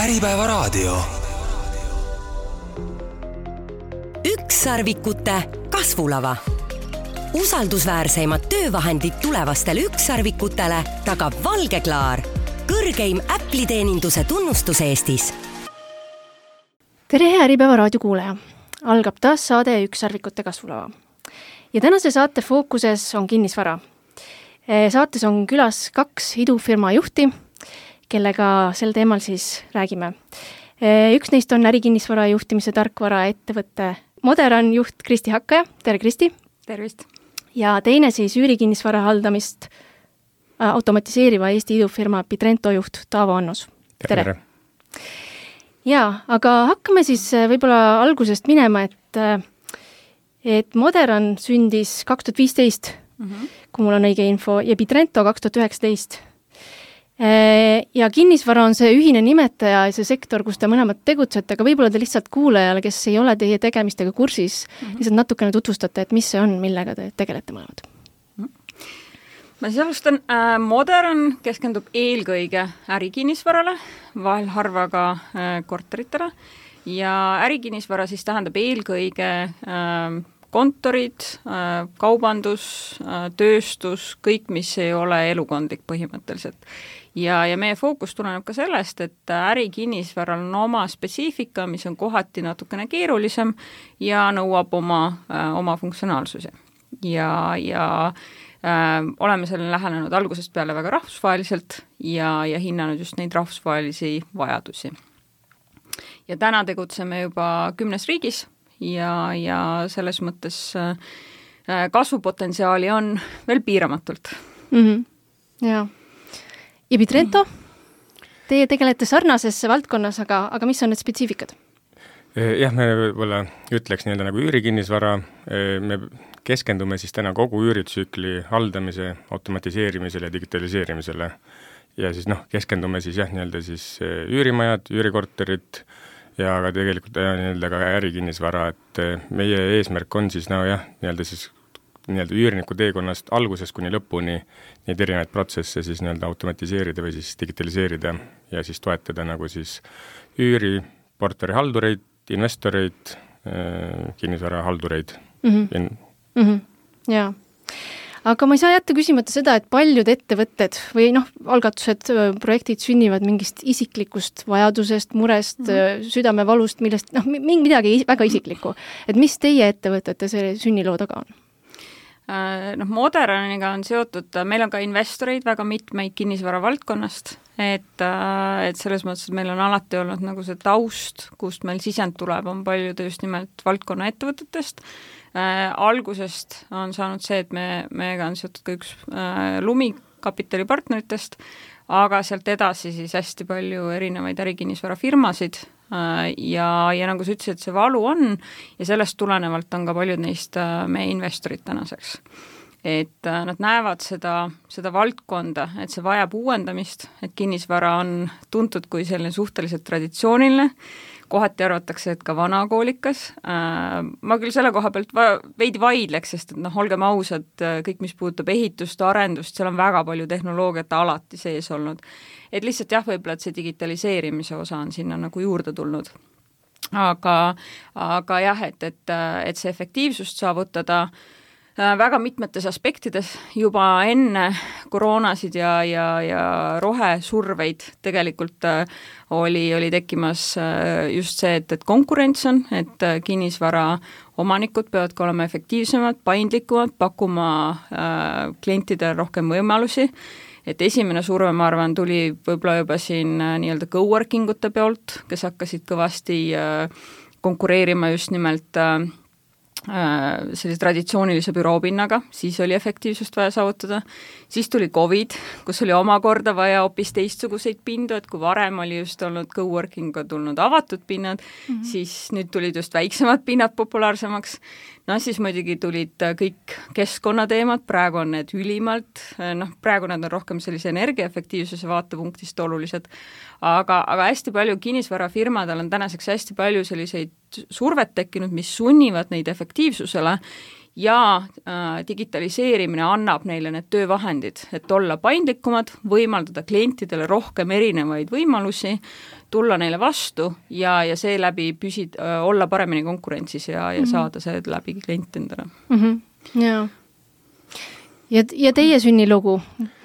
Äripäevaraadio. Ükssarvikute kasvulava. Usaldusväärseimad töövahendid tulevastele ükssarvikutele tagab Valgeklaar, kõrgeim Apple'i-teeninduse tunnustus Eestis. Tere, hea Äripäevaraadio kuulaja! Algab taas saade Ükssarvikute kasvulava. Ja tänase saate fookuses on kinnisvara. Saates on külas 2 idufirma juhti, kellega sel teemal siis räägime. Üks neist on ärikinnisvara juhtimise tarkvara ettevõtte Moderan juht Kristi Hakkaja. Tere, Kristi! Tervist! Ja teine siis üürikinnisvara haldamist automatiseeriva Eesti idufirma Bitrento juht Taavo Annus. Tere! Jaa, aga hakkame siis võib-olla algusest minema, et Moderan sündis 2015, kui mul on õige info, ja Bitrento 2019. Ja kinnisvara on see ühine nimetaja ja see sektor, kus te mõlemad tegutsete, aga võib-olla te lihtsalt kuulajale, kes ei ole teie tegemistega kursis, lihtsalt natukene tutvustate, et mis see on, millega te tegelete mõlemad. Ma siis alustan. Moderan keskendub eelkõige ärikinnisvarale, vahel harva ka korteritele, ja ärikinnisvara siis tähendab eelkõige kontorid, kaubandus, tööstus, kõik, mis ei ole elukondlik põhimõtteliselt. Ja meie fookus tuleneb ka sellest, et ärikinnisvaral on oma spetsiifika, mis on kohati natukene keerulisem ja nõuab oma funktsionaalsusi. Ja oleme sellele lähenenud algusest peale väga rahvusvaheliselt ja hinnanud just neid rahvusvahelisi vajadusi. Ja täna tegutseme juba 10 riigis ja selles mõttes kasvupotentsiaali on veel piiramatult. Jaa. Ja Bitrento? Teie tegelete sarnasesse valdkonnas, aga mis on need spetsiifikad? Jah, me võib-olla ütleks nii-öelda nagu üürikinnisvara. Me keskendume siis täna kogu üüritsükli haldamise, automatiseerimisele ja digitaliseerimisele. Ja siis keskendume siis nii-öelda siis üürimajad, üürikorterid ja ka tegelikult nii-öelda ka ärikinnisvara, et meie eesmärk on siis nii-öelda siis nii-öelda üürniku teekonnast algusest kuni lõpuni neid erinevaid protsesse siis nii-öelda automatiseerida või siis digitaliseerida ja siis toetada nagu siis üüri, portari haldureid, investoreid, kinnisvara haldureid. Jaa. Aga ma ei saa jätta küsimata seda, et paljud ettevõtted või algatused, projektid sünnivad mingist isiklikust vajadusest, murest, südamevalust, millest midagi väga isiklikku. Et mis teie ettevõtete see sünniloo taga on? Moderaniga on seotud, meil on ka investoreid väga mitmeid kinnisvara valdkonnast, et selles mõttes, et meil on alati olnud nagu see taust, kust meil sisend tuleb, on paljud just nimelt valdkonna ettevõtetest. Algusest on saanud see, et meiega on seotud ka üks Lumi-kapitali partneritest, aga sealt edasi siis hästi palju erinevaid ärikinnisvara firmasid ja nagu sa ütlesid, see valu on ja sellest tulenevalt on ka paljud neist meie investorid tänaseks. Et nad näevad seda valdkonda, et see vajab uuendamist, et kinnisvara on tuntud kui selline suhteliselt traditsiooniline, kohati arvatakse, et ka vanakoolikas. Ma küll selle koha pealt veidi vaidleks, sest et olgem ausad, kõik, mis puudutab ehitust, arendust, seal on väga palju tehnoloogiat alati sees olnud. Et lihtsalt võib-olla, et see digitaliseerimise osa on sinna nagu juurde tulnud. Aga jah, et see efektiivsust saavutada väga mitmetes aspektides juba enne koroonasid ja rohesurveid tegelikult oli tekkimas just see, et konkurents on, et kinnisvara omanikud peavad ka olema efektiivsemad, paindlikumad, pakkuma klientidele rohkem võimalusi. Et esimene surve, ma arvan, tuli võib-olla juba siin nii-öelda coworkingute pealt, kes hakkasid kõvasti konkureerima just nimelt sellise traditsioonilise büroopinnaga, siis oli efektiivsust vaja saavutada. Siis tuli COVID, kus oli omakorda vaja hoopis teistsuguseid pindu, et kui varem oli just olnud coworkinga tulnud avatud pinnad, siis nüüd tulid just väiksemad pinnad populaarsemaks. Siis muidugi tulid kõik keskkonnateemad, praegu on need ülimalt, praegu nad on rohkem sellise energiaefektiivsuse vaatepunktist olulised, aga hästi palju kinnisvarafirmadel on tänaseks hästi palju selliseid survet tekkinud, mis sunnivad neid efektiivsusele ja digitaliseerimine annab neile need töövahendid, et olla paindlikumad, võimaldada klientidele rohkem erinevaid võimalusi, tulla neile vastu ja seeläbi olla paremini konkurentsis ja saada see läbi klient endale. Jaa. Ja teie sünnilugu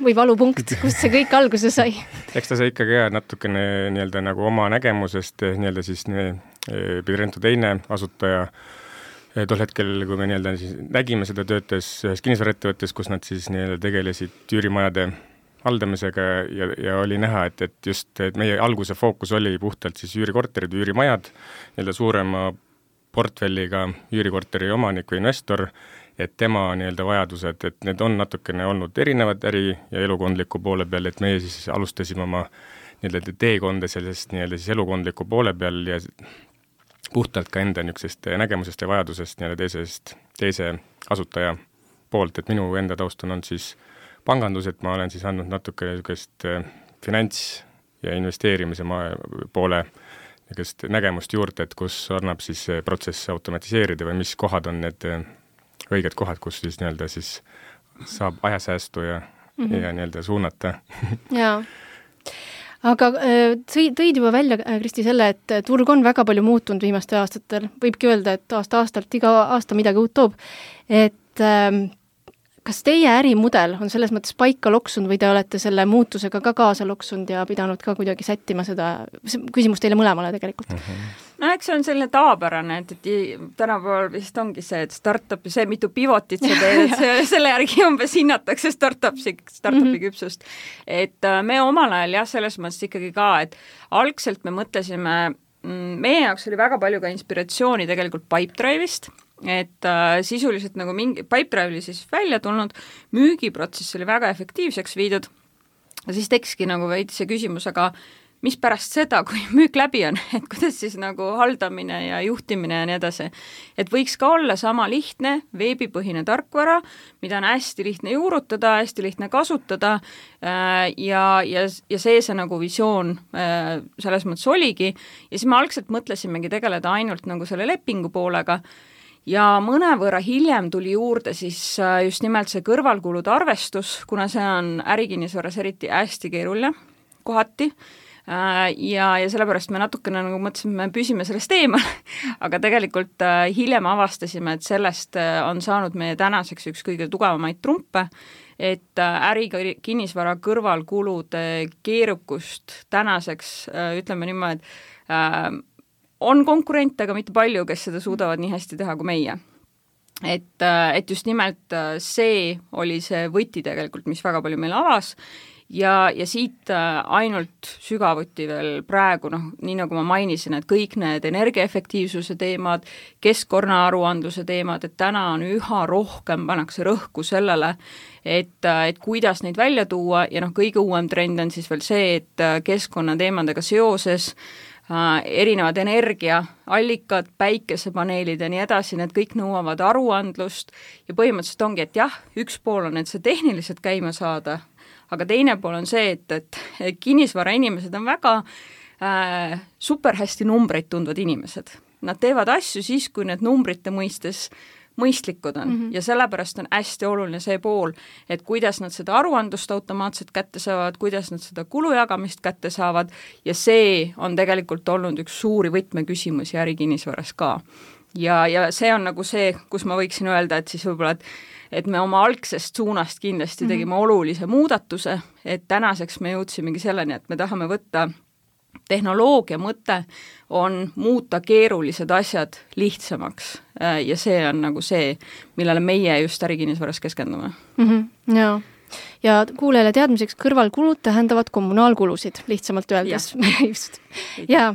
või valupunkt, kust see kõik alguse sai? Eks ta sai ikkagi natukene nii-öelda nagu oma nägemusest, nii-öelda siis Pidrento teine asutaja, tol hetkel, kui me nii-öelda siis nägime seda töötes ühes kinnisvaraettevõttes, kus nad siis nii-öelda tegelesid üürimajade haldamisega ja oli näha, et just et meie alguse fookus oli puhtalt siis üürikorterid, üürimajad, nii-öelda suurema portfelliga üürikorteri omanik või investor, et tema nii-öelda vajadused, et need on natukene olnud erinevad äri- ja elukondliku poole peal, et meie siis alustasime oma nii-öelda teekonda sellest nii-öelda siis elukondliku poole peal ja puhtalt ka enda niisugusest nägemusest ja vajadusest nii-öelda teise asutaja poolt, et minu enda taust on olnud siis pangandus, et ma olen siis andnud natuke niisugust finants- ja investeerimise poole niisugust nägemust juurde, et kus annab siis protsess automatiseerida või mis kohad on need õiged kohad, kus siis nii-öelda siis saab ajasäästu ja nii-öelda suunata. Jaa. Aga tõid juba välja, Kristi, selle, et turg on väga palju muutunud viimastel aastatel. Võibki öelda, et aasta-aastalt iga aasta midagi uut toob. Et kas teie ärimudel on selles mõttes paika loksunud või te olete selle muutusega ka kaasa loksunud ja pidanud ka kuidagi sättima seda? Küsimus teile mõlemale tegelikult. No eks see on selline tavapärane, et tänapäeval vist ongi see, et startupi, see mitu pivotit sa teed, et selle järgi umbes hinnatakse startupi küpsust. Et me omal ajal selles mõttes ikkagi ka, et algselt me mõtlesime, meie jaoks oli väga palju ka inspiratsiooni tegelikult Pipedrive'ist, et sisuliselt nagu mingi Pipedrive oli siis välja tulnud, müügiprotsess oli väga efektiivseks viidud ja siis tekski nagu veidi see küsimus, aga mis pärast seda, kui müük läbi on, et kuidas siis nagu haldamine ja juhtimine ja nii edasi. Et võiks ka olla sama lihtne, veebipõhine tarkvara, mida on hästi lihtne juurutada, hästi lihtne kasutada ja see nagu visioon selles mõttes oligi. Ja siis me algselt mõtlesimegi tegeleda ainult nagu selle lepingu poolega ja mõnevõrra hiljem tuli juurde siis just nimelt see kõrvalkulude arvestus, kuna see on ärikinnisvaras eriti hästi keeruline kohati, ja sellepärast me natukene nagu mõtlesime, me püsime sellest eemal, aga tegelikult hiljem avastasime, et sellest on saanud meie tänaseks üks kõige tugevamaid trumpe, et ärikinnisvara kõrvalkulude keerukust tänaseks, ütleme niimoodi, et on konkurente, aga mitte palju, kes seda suudavad nii hästi teha kui meie. Et just nimelt see oli see võti tegelikult, mis väga palju meil avas ja siit ainult sügavuti veel praegu, nii nagu ma mainisin, et kõik need energiaefektiivsuse teemad, keskkonnaaruandluse teemad, et täna on üha rohkem pannakse rõhku sellele, et kuidas neid välja tuua ja kõige uuem trend on siis veel see, et keskkonnateemadega seoses erinevad energiaallikad, päikesepaneelid ja nii edasi, need kõik nõuavad aruandlust ja põhimõtteliselt ongi, et jah, üks pool on, et see tehniliselt käima saada, aga teine pool on see, et kinnisvara inimesed on väga super hästi numbreid tundvad inimesed. Nad teevad asju siis, kui need numbrite mõistes mõistlikud on ja sellepärast on hästi oluline see pool, et kuidas nad seda aruandlust automaatselt kätte saavad, kuidas nad seda kulujagamist kätte saavad ja see on tegelikult olnud üks suuri võtmeküsimusi ärikinnisvaras ka. Ja see on nagu see, kus ma võiksin öelda, et siis võib-olla, et me oma algsest suunast kindlasti tegime olulise muudatuse, et tänaseks me jõudsimegi selleni, et me tahame võtta tehnoloogia mõte on muuta keerulised asjad lihtsamaks ja see on nagu see, millele meie just ärikinnisvaras keskendume. Jaa. Ja kuulele teadmiseks kõrvalkulud tähendavad kommunaalkulusid, lihtsamalt öeldes. Just. Jaa.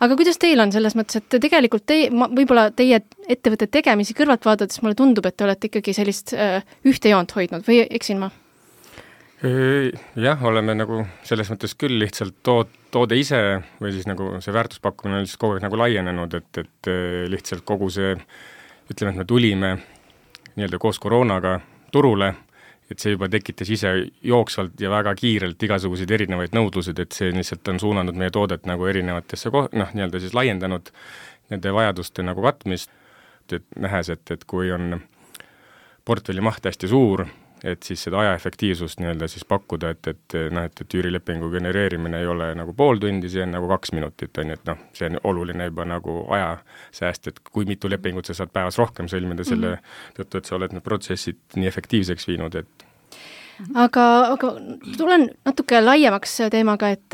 Aga kuidas teil on selles mõttes, et tegelikult võib-olla teie ettevõtte tegemisi kõrvalt vaadates mulle tundub, et te olete ikkagi sellist ühte joont hoidnud või eksin ma? Jah, oleme nagu selles mõttes küll lihtsalt toode ise või siis nagu see väärtuspakkumine on lihtsalt kogu aeg nagu laienenud, et lihtsalt kogu see, ütleme, et me tulime nii-öelda koos koroonaga turule, et see juba tekitas ise jooksvalt ja väga kiirelt igasuguseid erinevaid nõudlused, et see lihtsalt on suunanud meie toodet nagu erinevatesse nii-öelda siis laiendanud nende vajaduste nagu katmist, et nähes, et kui on portfelli maht hästi suur, et siis seda ajaefektiivsust nii-öelda siis pakkuda, et üürilepingu genereerimine ei ole nagu pool tundi, see on nagu 2 minutit, on ju, et see on oluline juba nagu ajasääst, et kui mitu lepingut sa saad päevas rohkem sõlmida selle tõttu, et sa oled need protsessid nii efektiivseks viinud, et aga tulen natuke laiemaks teemaga, et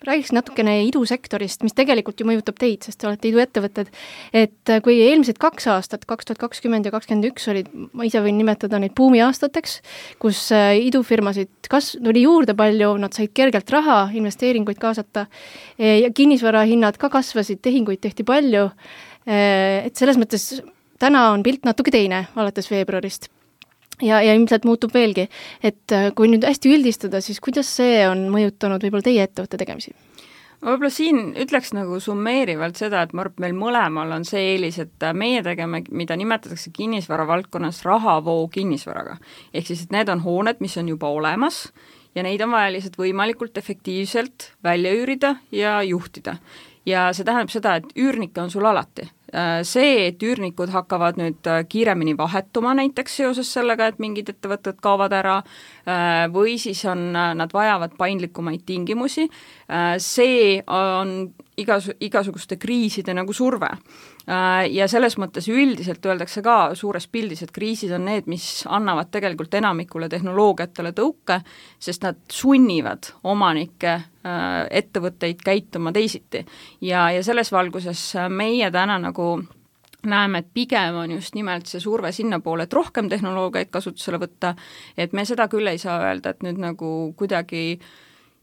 räägiks natukene idusektorist, mis tegelikult ju mõjutab teid, sest te olete iduettevõtted, et kui eelmised 2 aastat, 2020 ja 2021 olid, ma ise võin nimetada neid buumiaastateks, kus idufirmasid tuli juurde palju, nad said kergelt raha, investeeringuid kaasata ja kinnisvarahinnad ka kasvasid, tehinguid tehti palju, et selles mõttes täna on pilt natuke teine alates veebruarist. Ja ilmselt muutub veelgi, et kui nüüd hästi üldistada, siis kuidas see on mõjutanud võib-olla teie ettevõtte tegemisi? Võib-olla siin ütleks nagu summeerivalt seda, et ma arvan, et meil mõlemal on see eelis, et meie tegeme, mida nimetatakse kinnisvara valdkonnas rahavoo kinnisvaraga. Ehk siis, et need on hooned, mis on juba olemas ja neid on vaja lihtsalt võimalikult efektiivselt välja üürida ja juhtida. Ja see tähendab seda, et üürnikke on sul alati. See, et üürnikud hakkavad nüüd kiiremini vahetuma näiteks seoses sellega, et mingid ettevõtted kaovad ära või siis nad vajavad paindlikumaid tingimusi, see on igasuguste kriiside nagu surve. Ja selles mõttes üldiselt öeldakse ka suures pildis, et kriisid on need, mis annavad tegelikult enamikule tehnoloogiatele tõuke, sest nad sunnivad omanikke ettevõtteid käituma teisiti. Ja selles valguses meie täna nagu näeme, et pigem on just nimelt see surve sinna poole, et rohkem tehnoloogiaid kasutusele võtta, et me seda küll ei saa öelda, et nüüd nagu kuidagi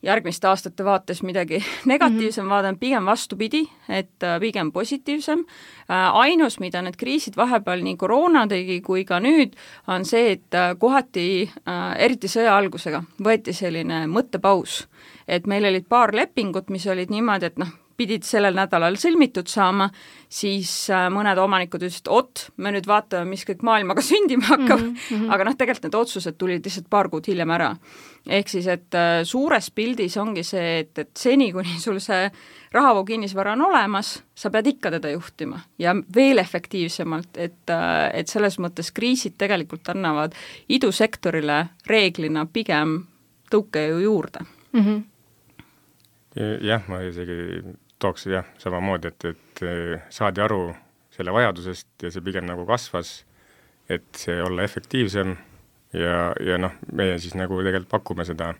järgmiste aastate vaates midagi negatiivsem vaadanud, pigem vastupidi, et pigem positiivsem. Ainus, mida need kriisid vahepeal nii koroona tegi kui ka nüüd, on see, et kohati, eriti sõja algusega, võeti selline mõttepaus. Et meil olid paar lepingut, mis olid niimoodi, et pidid sellel nädalal sõlmitud saama, siis mõned omanikud ütlesid, me nüüd vaatame, mis kõik maailmaga sündima hakkab, aga tegelikult need otsused tulid lihtsalt paar kuud hiljem ära. Ehk siis, et suures pildis ongi see, et seni, kuni sul see rahavoo kinnisvara on olemas, sa pead ikka teda juhtima ja veel efektiivsemalt, et selles mõttes kriisid tegelikult annavad idusektorile reeglina pigem tõuke ju juurde. Jah, ma isegi tooks samamoodi, et saadi aru selle vajadusest ja see pigem nagu kasvas, et see olla efektiivsem ja meie siis nagu tegelikult pakume seda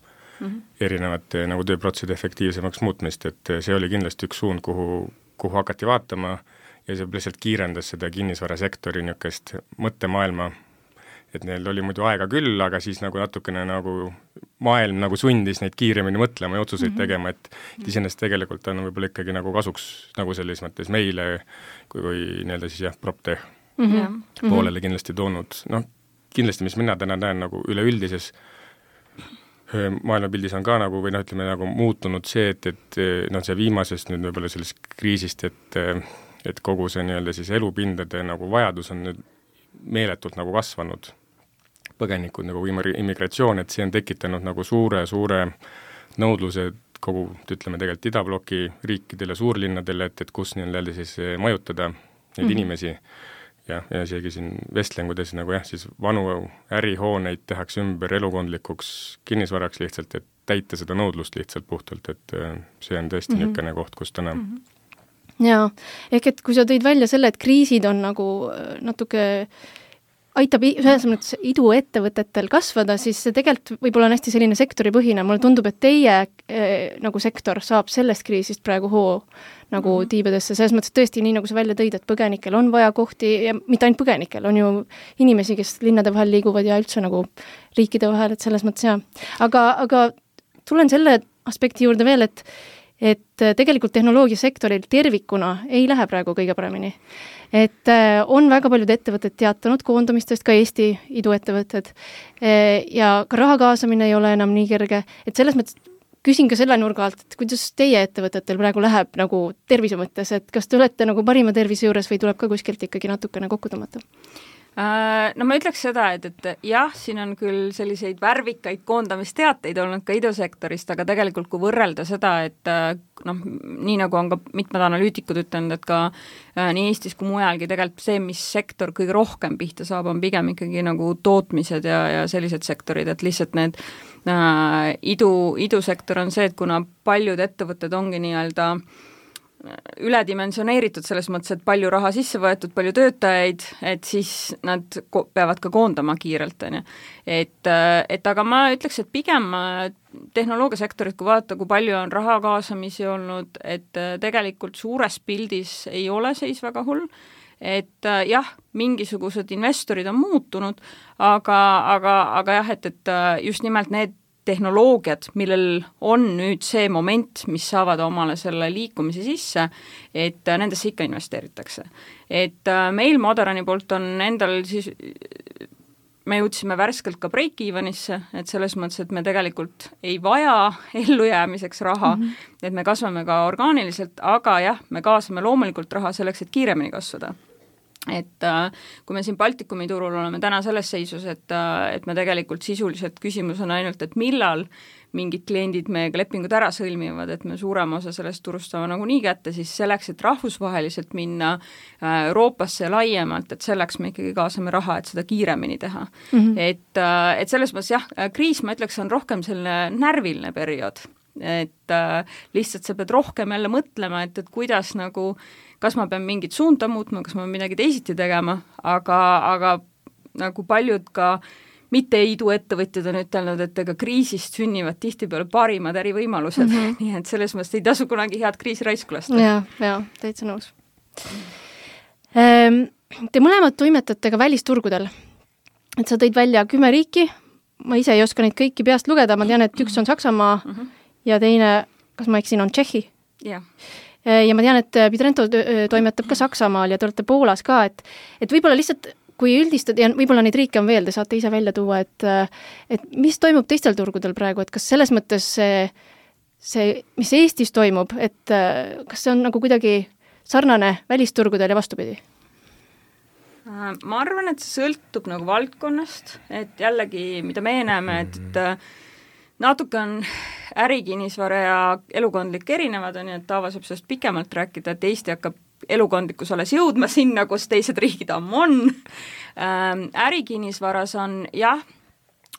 erinevate nagu tööprotsesside efektiivsemaks muutmist, et see oli kindlasti üks suund, kuhu hakati vaatama ja see lihtsalt kiirendas seda kinnisvarasektori niisugust mõttemaailma, et neil oli muidu aega küll, aga siis nagu natukene nagu maailm nagu sundis neid kiiremini mõtlema ja otsuseid tegema, et iseenesest tegelikult on võib-olla ikkagi nagu kasuks nagu selles mõttes meile, kui nii-öelda siis PropTech poolele kindlasti toonud. Kindlasti, mis mina täna näen nagu üleüldises maailmapildis on ka nagu, või ütleme nagu muutunud see, et see viimasest nüüd võib-olla sellest kriisist, et kogu see nii-öelda siis elupindade nagu vajadus on nüüd meeletult nagu kasvanud. Põgenikud nagu immigratsioon, et see on tekitanud nagu suure nõudluse kogu, ütleme tegelikult idabloki riikidele, suurlinnadele, et kus nii-öelda siis majutada neid inimesi ja isegi siin vestlengudes nagu siis vanu ärihooneid tehakse ümber elukondlikuks kinnisvaraks lihtsalt, et täita seda nõudlust lihtsalt puhtalt, et see on tõesti niisugune koht, kus täna Jaa, ehk et kui sa tõid välja selle, et kriisid on nagu natuke aitab ühes mõttes iduettevõtetel kasvada, siis see tegelikult võib-olla on hästi selline sektoripõhine. Mulle tundub, et teie nagu sektor saab sellest kriisist praegu hoo nagu tiibadesse. Selles mõttes tõesti nii, nagu sa välja tõid, et põgenikel on vaja kohti ja mitte ainult põgenikel, on ju inimesi, kes linnade vahel liiguvad ja üldse nagu riikide vahel, et selles mõttes jah. Aga tulen selle aspekti juurde veel, et tegelikult tehnoloogiasektoril tervikuna ei lähe praegu kõige paremini. Et on väga paljud ettevõtted teatanud koondamistest, ka Eesti iduettevõtted, ja ka raha kaasamine ei ole enam nii kerge, et selles mõttes küsin ka selle nurga alt, et kuidas teie ettevõtetel praegu läheb nagu tervise mõttes, et kas te olete nagu parima tervise juures või tuleb ka kuskilt ikkagi natukene kokku tõmmata? No ma ütleks seda, et jah, siin on küll selliseid värvikaid koondamisteateid olnud ka idusektorist, aga tegelikult kui võrrelda seda, et noh, nii nagu on ka mitmed analüütikud ütlenud, et ka nii Eestis kui mujalgi tegelikult see, mis sektor kõige rohkem pihta saab, on pigem ikkagi nagu tootmised ja sellised sektorid, et lihtsalt need idusektor on see, et kuna paljud ettevõtted ongi nii-öelda üledimensioneeritud selles mõttes, et palju raha sisse võetud, palju töötajaid, et siis nad peavad ka koondama kiirelt, on ju. Et aga ma ütleks, et pigem tehnoloogiasektorit, kui vaadata, kui palju on raha kaasamisi olnud, et tegelikult suures pildis ei ole seis väga hull, et jah, mingisugused investorid on muutunud, aga jah, et just nimelt need tehnoloogiad, millel on nüüd see moment, mis saavad omale selle liikumise sisse, et nendesse ikka investeeritakse. Et meil Moderani poolt on endal siis, me jõudsime värskelt ka break-evenisse, et selles mõttes, et me tegelikult ei vaja ellujäämiseks raha, et me kasvame ka orgaaniliselt, aga jah, me kaasame loomulikult raha selleks, et kiiremini kasvada. Et kui me siin Baltikumi turul oleme täna selles seisus, et me tegelikult sisuliselt küsimus on ainult, et millal mingid kliendid meiega lepingud ära sõlmivad, et me suurema osa sellest turust saame nagu nii kätte, siis selleks, et rahvusvaheliselt minna Euroopasse laiemalt, et selleks me ikkagi kaasame raha, et seda kiiremini teha. Et selles mõttes jah, kriis, ma ütleks, on rohkem selline närviline periood, et lihtsalt sa pead rohkem jälle mõtlema, et kuidas nagu kas ma pean mingit suunda muutma, kas ma pean midagi teisiti tegema, aga nagu paljud ka mitte iduettevõtjad on ütelnud, et ega kriisist sünnivad tihtipeale parimad ärivõimalused, nii et selles mõttes ei tasu kunagi head kriisi raisku lasta. Ja, täitsa nõus. Te mõlemad toimetate ka välisturgudel, et sa tõid välja 10 riiki, ma ise ei oska neid kõiki peast lugeda, ma tean, et üks on Saksamaa ja teine, kas ma eksin, on Tšehhi. Jah. Ja ma tean, et Pitrento toimetab ka Saksamaal ja te olete Poolas ka, et võib-olla lihtsalt, kui üldistada, ja võib-olla neid riike on veel, te saate ise välja tuua, et mis toimub teistel turgudel praegu, et kas selles mõttes see, mis Eestis toimub, et kas see on nagu kuidagi sarnane välisturgudel ja vastupidi? Ma arvan, et see sõltub nagu valdkonnast, et jällegi, mida me näeme, et natuke on ärikinnisvara ja elukondlik erinevad, on ju, et Taava saab sellest pikemalt rääkida, et Eesti hakkab elukondlikus alles jõudma sinna, kus teised riigid ammu on. Ärikinnisvaras on, jah,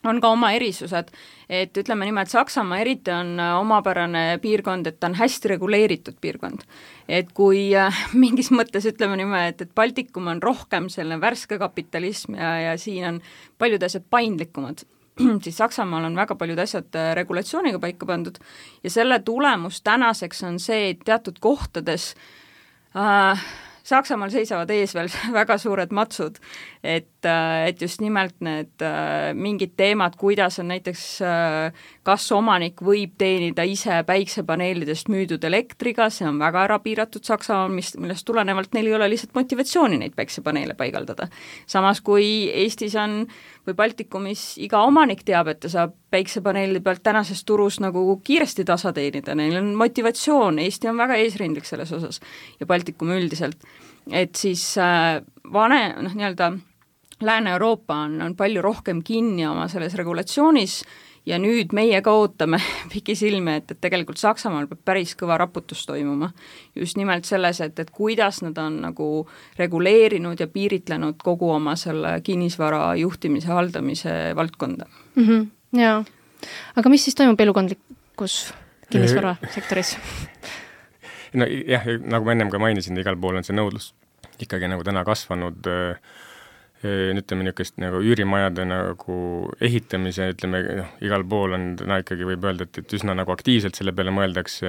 on ka oma erisused, et ütleme niimoodi, et Saksamaa eriti on omapärane piirkond, et ta on hästi reguleeritud piirkond. Et kui mingis mõttes ütleme niimoodi, et Baltikum on rohkem selline värske kapitalism ja siin on paljud asjad paindlikumad, siis Saksamaal on väga paljud asjad regulatsiooniga paika pandud ja selle tulemus tänaseks on see, et teatud kohtades Saksamaal seisavad ees veel väga suured matsud, et just nimelt need mingid teemad, kuidas on näiteks, kas omanik võib teenida ise päiksepaneelidest müüdud elektriga, see on väga ära piiratud Saksamaal, millest tulenevalt neil ei ole lihtsalt motivatsiooni neid päiksepaneele paigaldada. Samas kui Eestis on või Baltikumis iga omanik teab, et ta saab päiksepaneelide pealt tänases turus nagu kiiresti tasa teenida, neil on motivatsioon, Eesti on väga eesrindlik selles osas ja Baltikum üldiselt, et siis nii-öelda Lääne-Euroopa on palju rohkem kinni oma selles regulatsioonis ja nüüd meie ka ootame pikisilme, et tegelikult Saksamaal peab päris kõva raputus toimuma. Just nimelt selles, et kuidas nad on nagu reguleerinud ja piiritlenud kogu oma selle kinnisvara juhtimise, haldamise valdkonda. Jaa, aga mis siis toimub elukondlikus kinnisvarasektoris? No jah, nagu ma ennem ka mainisin, igal pool on see nõudlus ikkagi nagu täna kasvanud, ütleme niisugust nagu üürimajade nagu ehitamise, ütleme, igal pool on täna ikkagi võib öelda, et üsna nagu aktiivselt selle peale mõeldakse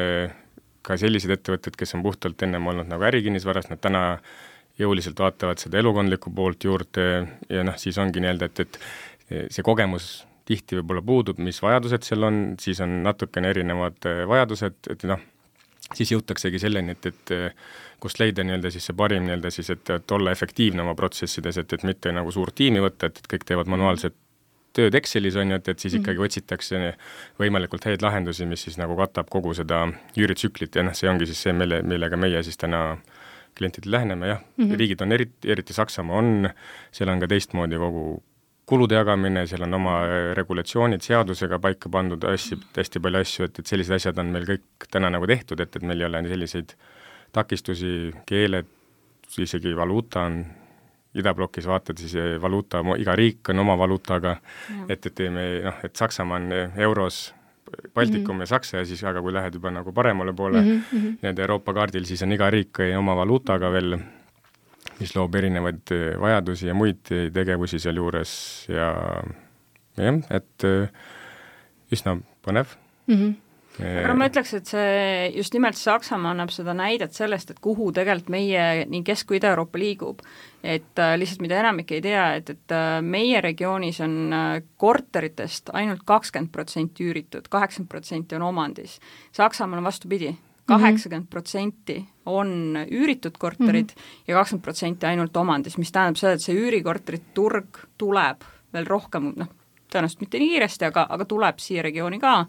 ka sellised ettevõtted, kes on puhtalt ennem olnud nagu ärikinnisvaras, nad täna jõuliselt vaatavad seda elukondlikku poolt juurde ja siis ongi nii-öelda, et see kogemus tihti võib-olla puudub, mis vajadused seal on, siis on natukene erinevad vajadused, et siis jõutaksegi selleni, et kust leida nii-öelda siis see parim nii-öelda siis, et olla efektiivne oma protsessides, et mitte nagu suurt tiimi võtta, et kõik teevad manuaalset tööd Excelis on ju, et siis ikkagi otsitakse võimalikult häid lahendusi, mis siis nagu katab kogu seda üüritsüklit ja see ongi siis see, millega meie siis täna klientidele läheneme, jah, riigid on eriti Saksamaa on, seal on ka teistmoodi kogu kulude jagamine, seal on oma regulatsioonid seadusega paika pandud hästi palju asju, et sellised asjad on meil kõik täna nagu tehtud, et meil ei ole selliseid takistusi, keeled, isegi valuuta on idablokis vaatad, siis valuuta, iga riik on oma valuutaga, et et Saksamaa on euros Baltikum ja Saksa ja siis, aga kui lähed juba nagu paremale poole nende Euroopa kaardil, siis on iga riik oma valuutaga veel, mis loob erinevaid vajadusi ja muid tegevusi seal juures ja jah, et üsna põnev. Aga ma ütleks, et see just nimelt Saksamaa annab seda näidet sellest, et kuhu tegelikult meie nii Kesk- kui Ida-Euroopa liigub. Et lihtsalt mida enamik ei tea, et meie regioonis on korteritest ainult 20% üüritud, 80% on omandis. Saksamaal on vastupidi, 80% on üüritud korterid ja 20% ainult omandis, mis tähendab seda, et see üürikorterit turg tuleb veel rohkem, tõenäoliselt mitte nii kiiresti, aga tuleb siia regiooni ka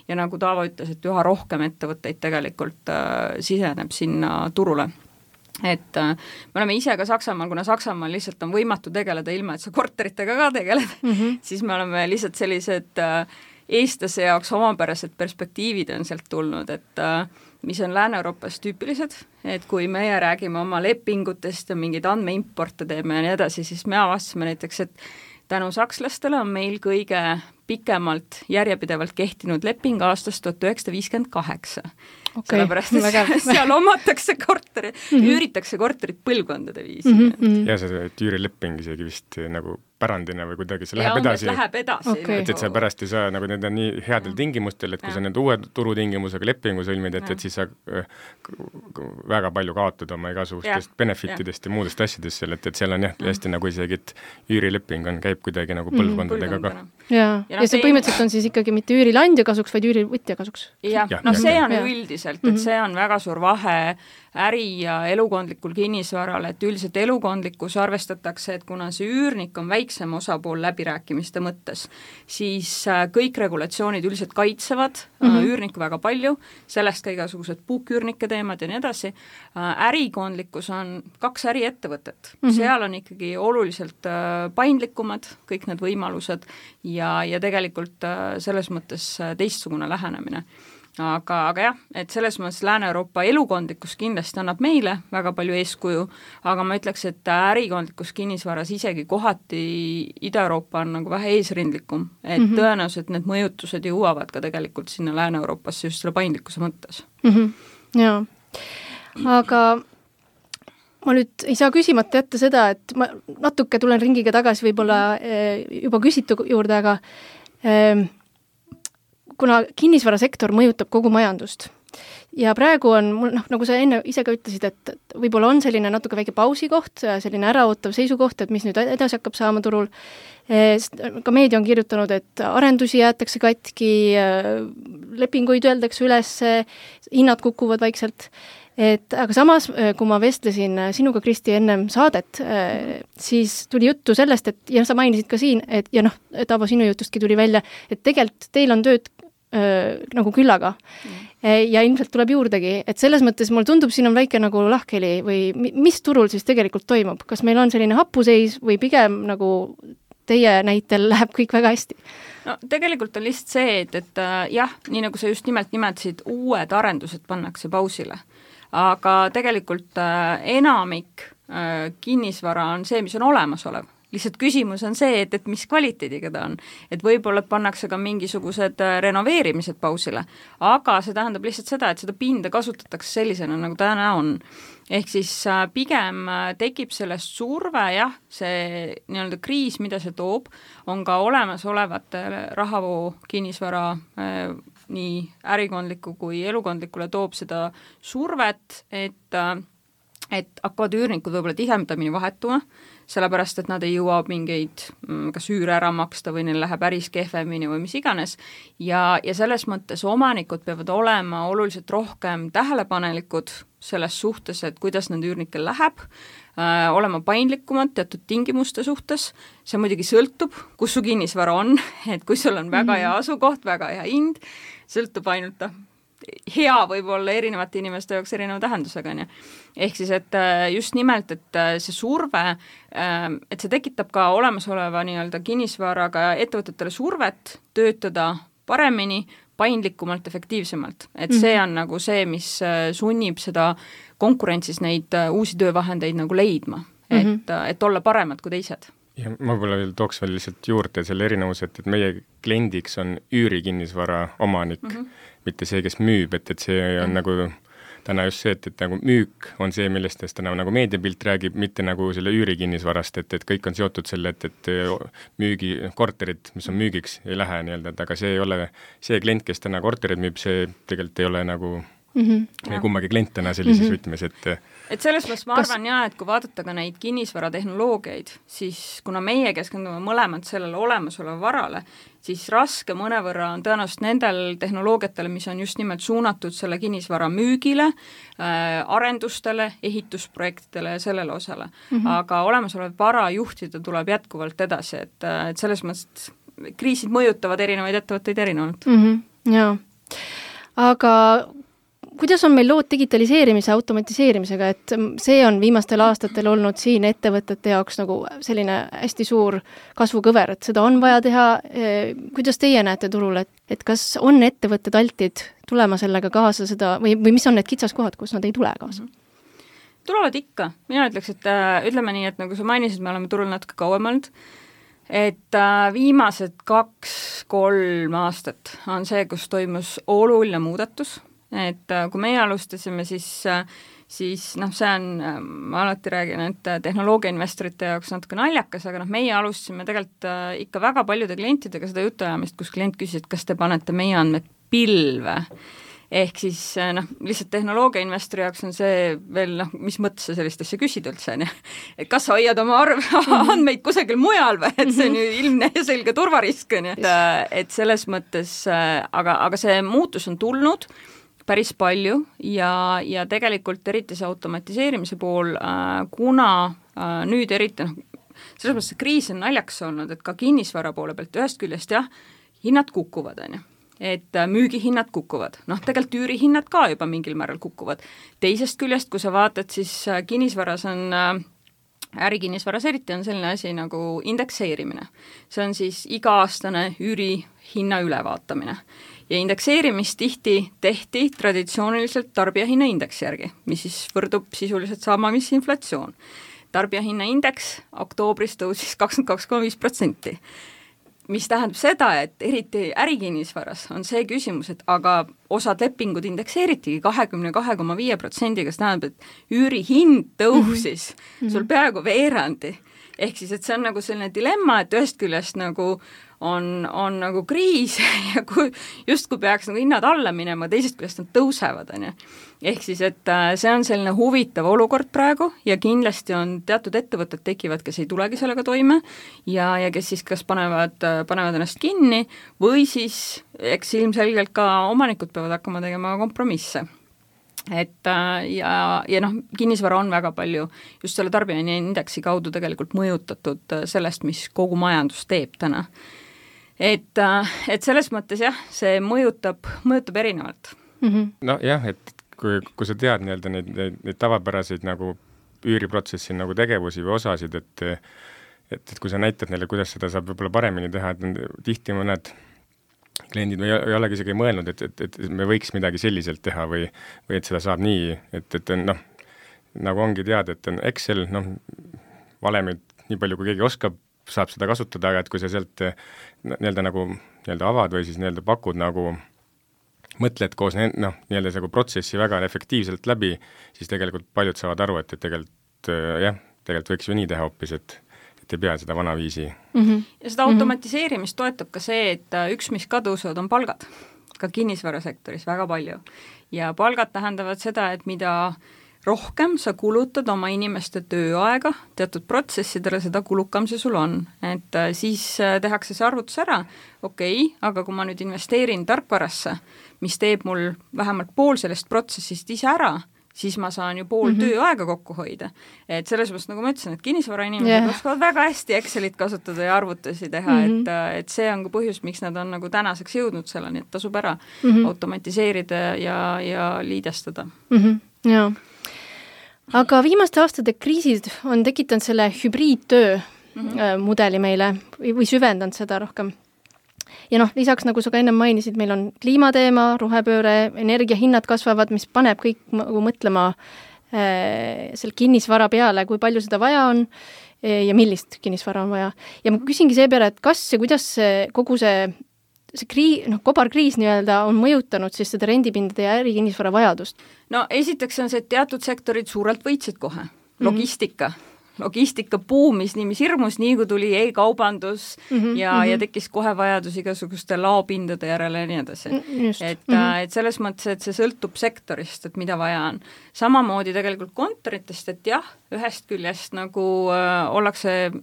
ja nagu Taavo ütles, et üha rohkem ettevõtteid tegelikult siseneb sinna turule. Et me oleme ise ka Saksamaal, kuna Saksamaal lihtsalt on võimatu tegeleda ilma, et sa korteritega ka tegeled, siis me oleme lihtsalt sellised eestlase jaoks omapärased perspektiivid on sealt tulnud, et mis on Lääne-Euroopas tüüpilised, et kui meie räägime oma lepingutest ja mingeid andmeimporte teeme ja nii edasi, siis me avastasime näiteks, et tänu sakslastele on meil kõige pikemalt järjepidevalt kehtinud leping aastast 1958. Okay, sellepärast, et seal omatakse korteri, üüritakse korterit põlvkondade viisi. Ja see üürileping isegi vist nagu pärandina või kuidagi see läheb edasi. Läheb edasi. Okay. Et sa pärast ei saa, nagu need on nii headel tingimustel, et kui sa need uue turutingimusega lepingu sõlmid, et siis sa väga palju kaotad oma igasugustest benefitidest ja muudest asjadest seal, et seal on jah, hästi nagu isegi, et üürileping käib kuidagi nagu põlvkondadega ka. Ja see põhimõtteliselt on siis ikkagi mitte üürilandja kasuks, vaid üürivõtja kasuks. See on üldiselt, et see on väga suur vahe äri- ja elukondlikul kinnisvaral, et üldiselt elukondlikus arvestatakse, et kuna see üürnik on väiksem osapool läbirääkimiste mõttes, siis kõik regulatsioonid üldiselt kaitsevad üürnikku väga palju, sellest ka igasugused puuküürnike teemad ja nii edasi. Ärikondlikkus on 2 äriettevõtet, seal on ikkagi oluliselt paindlikumad kõik need võimalused ja tegelikult selles mõttes teistsugune lähenemine. Aga jah, et selles mõttes Lääne-Euroopa elukondlikkus kindlasti annab meile väga palju eeskuju, aga ma ütleks, et ärikondlikkus kinnisvaras isegi kohati Ida-Euroopa on nagu vähe eesrindlikum, et tõenäoliselt need mõjutused jõuavad ka tegelikult sinna Lääne-Euroopasse just selle paindlikkuse mõttes. Jaa, aga ma nüüd ei saa küsimata jätta seda, et ma natuke tulen ringiga tagasi võib-olla juba küsitu juurde, aga kuna kinnisvarasektor mõjutab kogu majandust ja praegu on mul, nagu sa enne ise ka ütlesid, et võib-olla on selline natuke väike pausikoht, selline äraootav seisukoht, et mis nüüd edasi hakkab saama turul. Ka meedia on kirjutanud, et arendusi jäetakse katki, lepinguid öeldakse üles, hinnad kukuvad vaikselt. Aga samas, kui ma vestlesin sinuga, Kristi, ennem saadet, siis tuli juttu sellest, et ja sa mainisid ka siin, et ja Taavo, sinu jutustki tuli välja, et tegelikult teil on tööd nagu küllaga ja ilmselt tuleb juurdegi, et selles mõttes mulle tundub, siin on väike nagu lahkheli või mis turul siis tegelikult toimub, kas meil on selline hapuseis või pigem nagu teie näitel läheb kõik väga hästi? No tegelikult on lihtsalt see, et jah, nii nagu sa just nimelt nimetasid, uued arendused pannakse pausile, aga tegelikult enamik kinnisvara on see, mis on olemasolev. Lihtsalt küsimus on see, et mis kvaliteediga ta on. Et võib-olla pannakse ka mingisugused renoveerimised pausile, aga see tähendab lihtsalt seda, et seda pinda kasutatakse sellisena, nagu täna on. Ehk siis pigem tekib sellest surve, jah, see nii-öelda kriis, mida see toob, on ka olemasolevate rahavoo kinnisvara nii ärikondliku kui elukondlikule toob seda survet, et hakkavad üürnikud võib-olla tihemdamini vahetuma, sellepärast, et nad ei jõua mingeid kas üüre ära maksta või neil läheb äris kehvemini või mis iganes. Ja selles mõttes omanikud peavad olema oluliselt rohkem tähelepanelikud selles suhtes, et kuidas nende üürnikel läheb, olema paindlikumad teatud tingimuste suhtes. See muidugi sõltub, kus su kinnisvara on, et kui sul on väga hea asukoht, väga hea hind, sõltub ainult hea võib olla erinevate inimeste jaoks erineva tähendusega, on ju. Ehk siis, et just nimelt, et see surve, et see tekitab ka olemasoleva nii-öelda kinnisvaraga ettevõtetele survet töötada paremini, paindlikumalt, efektiivsemalt. Et see on nagu see, mis sunnib seda konkurentsis neid uusi töövahendeid nagu leidma, et olla paremad kui teised. Ja ma võib-olla veel tooks veel lihtsalt juurde selle erinevus, et meie kliendiks on üürikinnisvara omanik, mitte see, kes müüb, et see on nagu täna just see, et nagu müük on see, millest täna nagu meediapilt räägib, mitte nagu selle üürikinnisvarast, et kõik on seotud selle, et müügikorterid, mis on müügiks, ei lähe nii-öelda, et aga see ei ole see klient, kes täna korterid müüb, see tegelikult ei ole nagu kummagi klient täna sellises võtmes, et selles mõttes ma arvan et kui vaadata ka neid kinnisvaratehnoloogiaid, siis kuna meie keskendume mõlemad sellele olemasoleva varale, siis raske mõnevõrra on tõenäoliselt nendel tehnoloogiatele, mis on just nimelt suunatud selle kinnisvara müügile, arendustele, ehitusprojektidele ja sellele osale. Aga olemasolev vara juhtida tuleb jätkuvalt edasi, et selles mõttes kriisid mõjutavad erinevaid ettevõtteid erinevalt. Jaa, aga kuidas on meil lood digitaliseerimise ja automatiseerimisega, et see on viimastel aastatel olnud siin ettevõtete jaoks nagu selline hästi suur kasvukõver, et seda on vaja teha. Kuidas teie näete turul, et kas on ettevõtted altid tulema sellega kaasa seda või mis on need kitsaskohad, kus nad ei tule kaasa? Tulevad ikka. Mina ütleks, et ütleme nii, et nagu sa mainisid, me oleme turul natuke kauem olnud, et viimased 2-3 aastat on see, kus toimus oluline muudatus. Et kui meie alustasime, siis see on, ma alati räägin, et tehnoloogiainvestorite jaoks natuke naljakas, aga meie alustasime tegelikult ikka väga paljude klientidega seda jutuajamist, kus klient küsis, et kas te panete meie andmed pilve. Ehk siis lihtsalt tehnoloogiainvestori jaoks on see veel, mis mõttes sa sellist asja küsid üldse, et kas sa hoiad oma andmeid kusagil mujal või, et see on ju ilmne ja selge turvarisk, et selles mõttes, aga see muutus on tulnud päris palju ja tegelikult eriti see automatiseerimise pool, kuna nüüd eriti, selles mõttes see kriis on naljaks olnud, et ka kinnisvara poole pealt ühest küljest hinnad kukuvad, et müügihinnad kukuvad, tegelikult üürihinnad ka juba mingil määral kukuvad. Teisest küljest, kui sa vaatad, siis kinnisvaras on ärikinnisvaras eriti on selline asi nagu indekseerimine. See on siis iga-aastane üürihinna ülevaatamine. Ja indekseerimist tihti tehti traditsiooniliselt tarbijahinnaindeksi järgi, mis siis võrdub sisuliselt sama, mis inflatsioon. Tarbijahinnaindeks oktoobris tõusis 22,5%, mis tähendab seda, et eriti ärikinnisvaras on see küsimus, et aga osad lepingud indekseeritigi 22,5%, kas tähendab, et üürihind tõusis sul peaaegu veerandi. Ehk siis, et see on nagu selline dilemma, et ühest küljest nagu on nagu kriis ja justkui peaks nagu hinnad alla minema, teisest küljest nad tõusevad. Ehk siis, et see on selline huvitav olukord praegu ja kindlasti on teatud ettevõtted tekivad, kes ei tulegi sellega toime ja kes siis kas panevad ennast kinni või siis eks ilmselgelt ka omanikud peavad hakkama tegema kompromisse. Et kinnisvara on väga palju just selle tarbijahinnaindeksi kaudu tegelikult mõjutatud sellest, mis kogu majandus teeb täna. Et selles mõttes see mõjutab erinevalt. No jah, et kui sa tead neid tavapäraseid nagu üüriprotsessi nagu tegevusi või osasid, et kui sa näitad neile, kuidas seda saab võib-olla paremini teha, et tihti mõned kliendid ei olegi isegi mõelnud, et me võiks midagi selliselt teha või et seda saab nii, et nagu ongi teada, et on Excel, valemid nii palju, kui keegi oskab, saab seda kasutada, aga et kui sa sealt nii-öelda avad või siis nii-öelda pakud nagu mõtled koos nii-öelda see protsessi väga efektiivselt läbi, siis tegelikult paljud saavad aru, et tegelikult võiks ju nii teha hoopis, et ei pea seda vana viisi. Ja seda automatiseerimist toetab ka see, et üks, mis ka tõusevad, on palgad. Ka kinnisvarasektoris väga palju. Ja palgad tähendavad seda, et mida rohkem sa kulutad oma inimeste tööaega teatud protsessidele, seda kulukam see sul on. Et siis tehakse see arvutus ära, aga kui ma nüüd investeerin tarkvarasse, mis teeb mul vähemalt pool sellest protsessist ise ära, siis ma saan ju pool tööaega kokku hoida. Et selles mõttes, nagu ma ütlesin, et kinnisvarainimesed oskavad väga hästi Excelit kasutada ja arvutusi teha, et see on ka põhjus, miks nad on nagu tänaseks jõudnud selleni, et tasub ära automatiseerida ja liidestada. Jaa. Aga viimaste aastate kriisid on tekitanud selle hübriidtöö mudeli meile või süvendanud seda rohkem. Ja lisaks, nagu sa ka ennem mainisid, meil on kliimateema, rohepööre, energiahinnad kasvavad, mis paneb kõik mõtlema selle kinnisvara peale, kui palju seda vaja on ja millist kinnisvara on vaja. Ja ma küsingi seepeale, et kas ja kuidas kogu see kobarkriis nii-öelda on mõjutanud siis seda rendipindade ja ärikinnisvara vajadust? No esiteks on see, et teatud sektorid suurelt võitsid kohe. Logistika buumis nii mis hirmus, nii kui tuli e-kaubandus ja tekkis kohe vajadus igasuguste laopindade järele ja nii edasi. Et selles mõttes, et see sõltub sektorist, et mida vaja on. Samamoodi tegelikult kontoritest, et jah, ühest küljest nagu ollakse,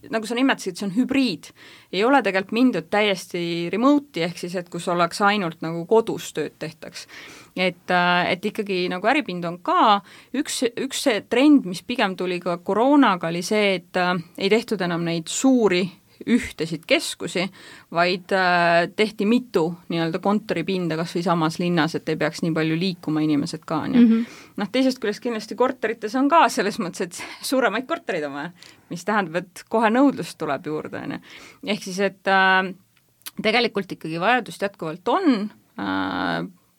nagu sa nimetasid, see on hübriid. Ei ole tegelikult mindud täiesti remote'i, ehk siis, et kus oleks ainult nagu kodus tööd tehtaks. Et ikkagi nagu äripind on ka üks see trend, mis pigem tuli ka koroonaga, oli see, et ei tehtud enam neid suuri ühtesid keskusi, vaid tehti mitu nii-öelda kontoripinda kas või samas linnas, et ei peaks nii palju liikuma inimesed ka. Teisest küljest kindlasti korterites on ka selles mõttes, et suuremaid korterid on vaja, mis tähendab, et kohe nõudlust tuleb juurde. Ehk siis, et tegelikult ikkagi vajadust jätkuvalt on,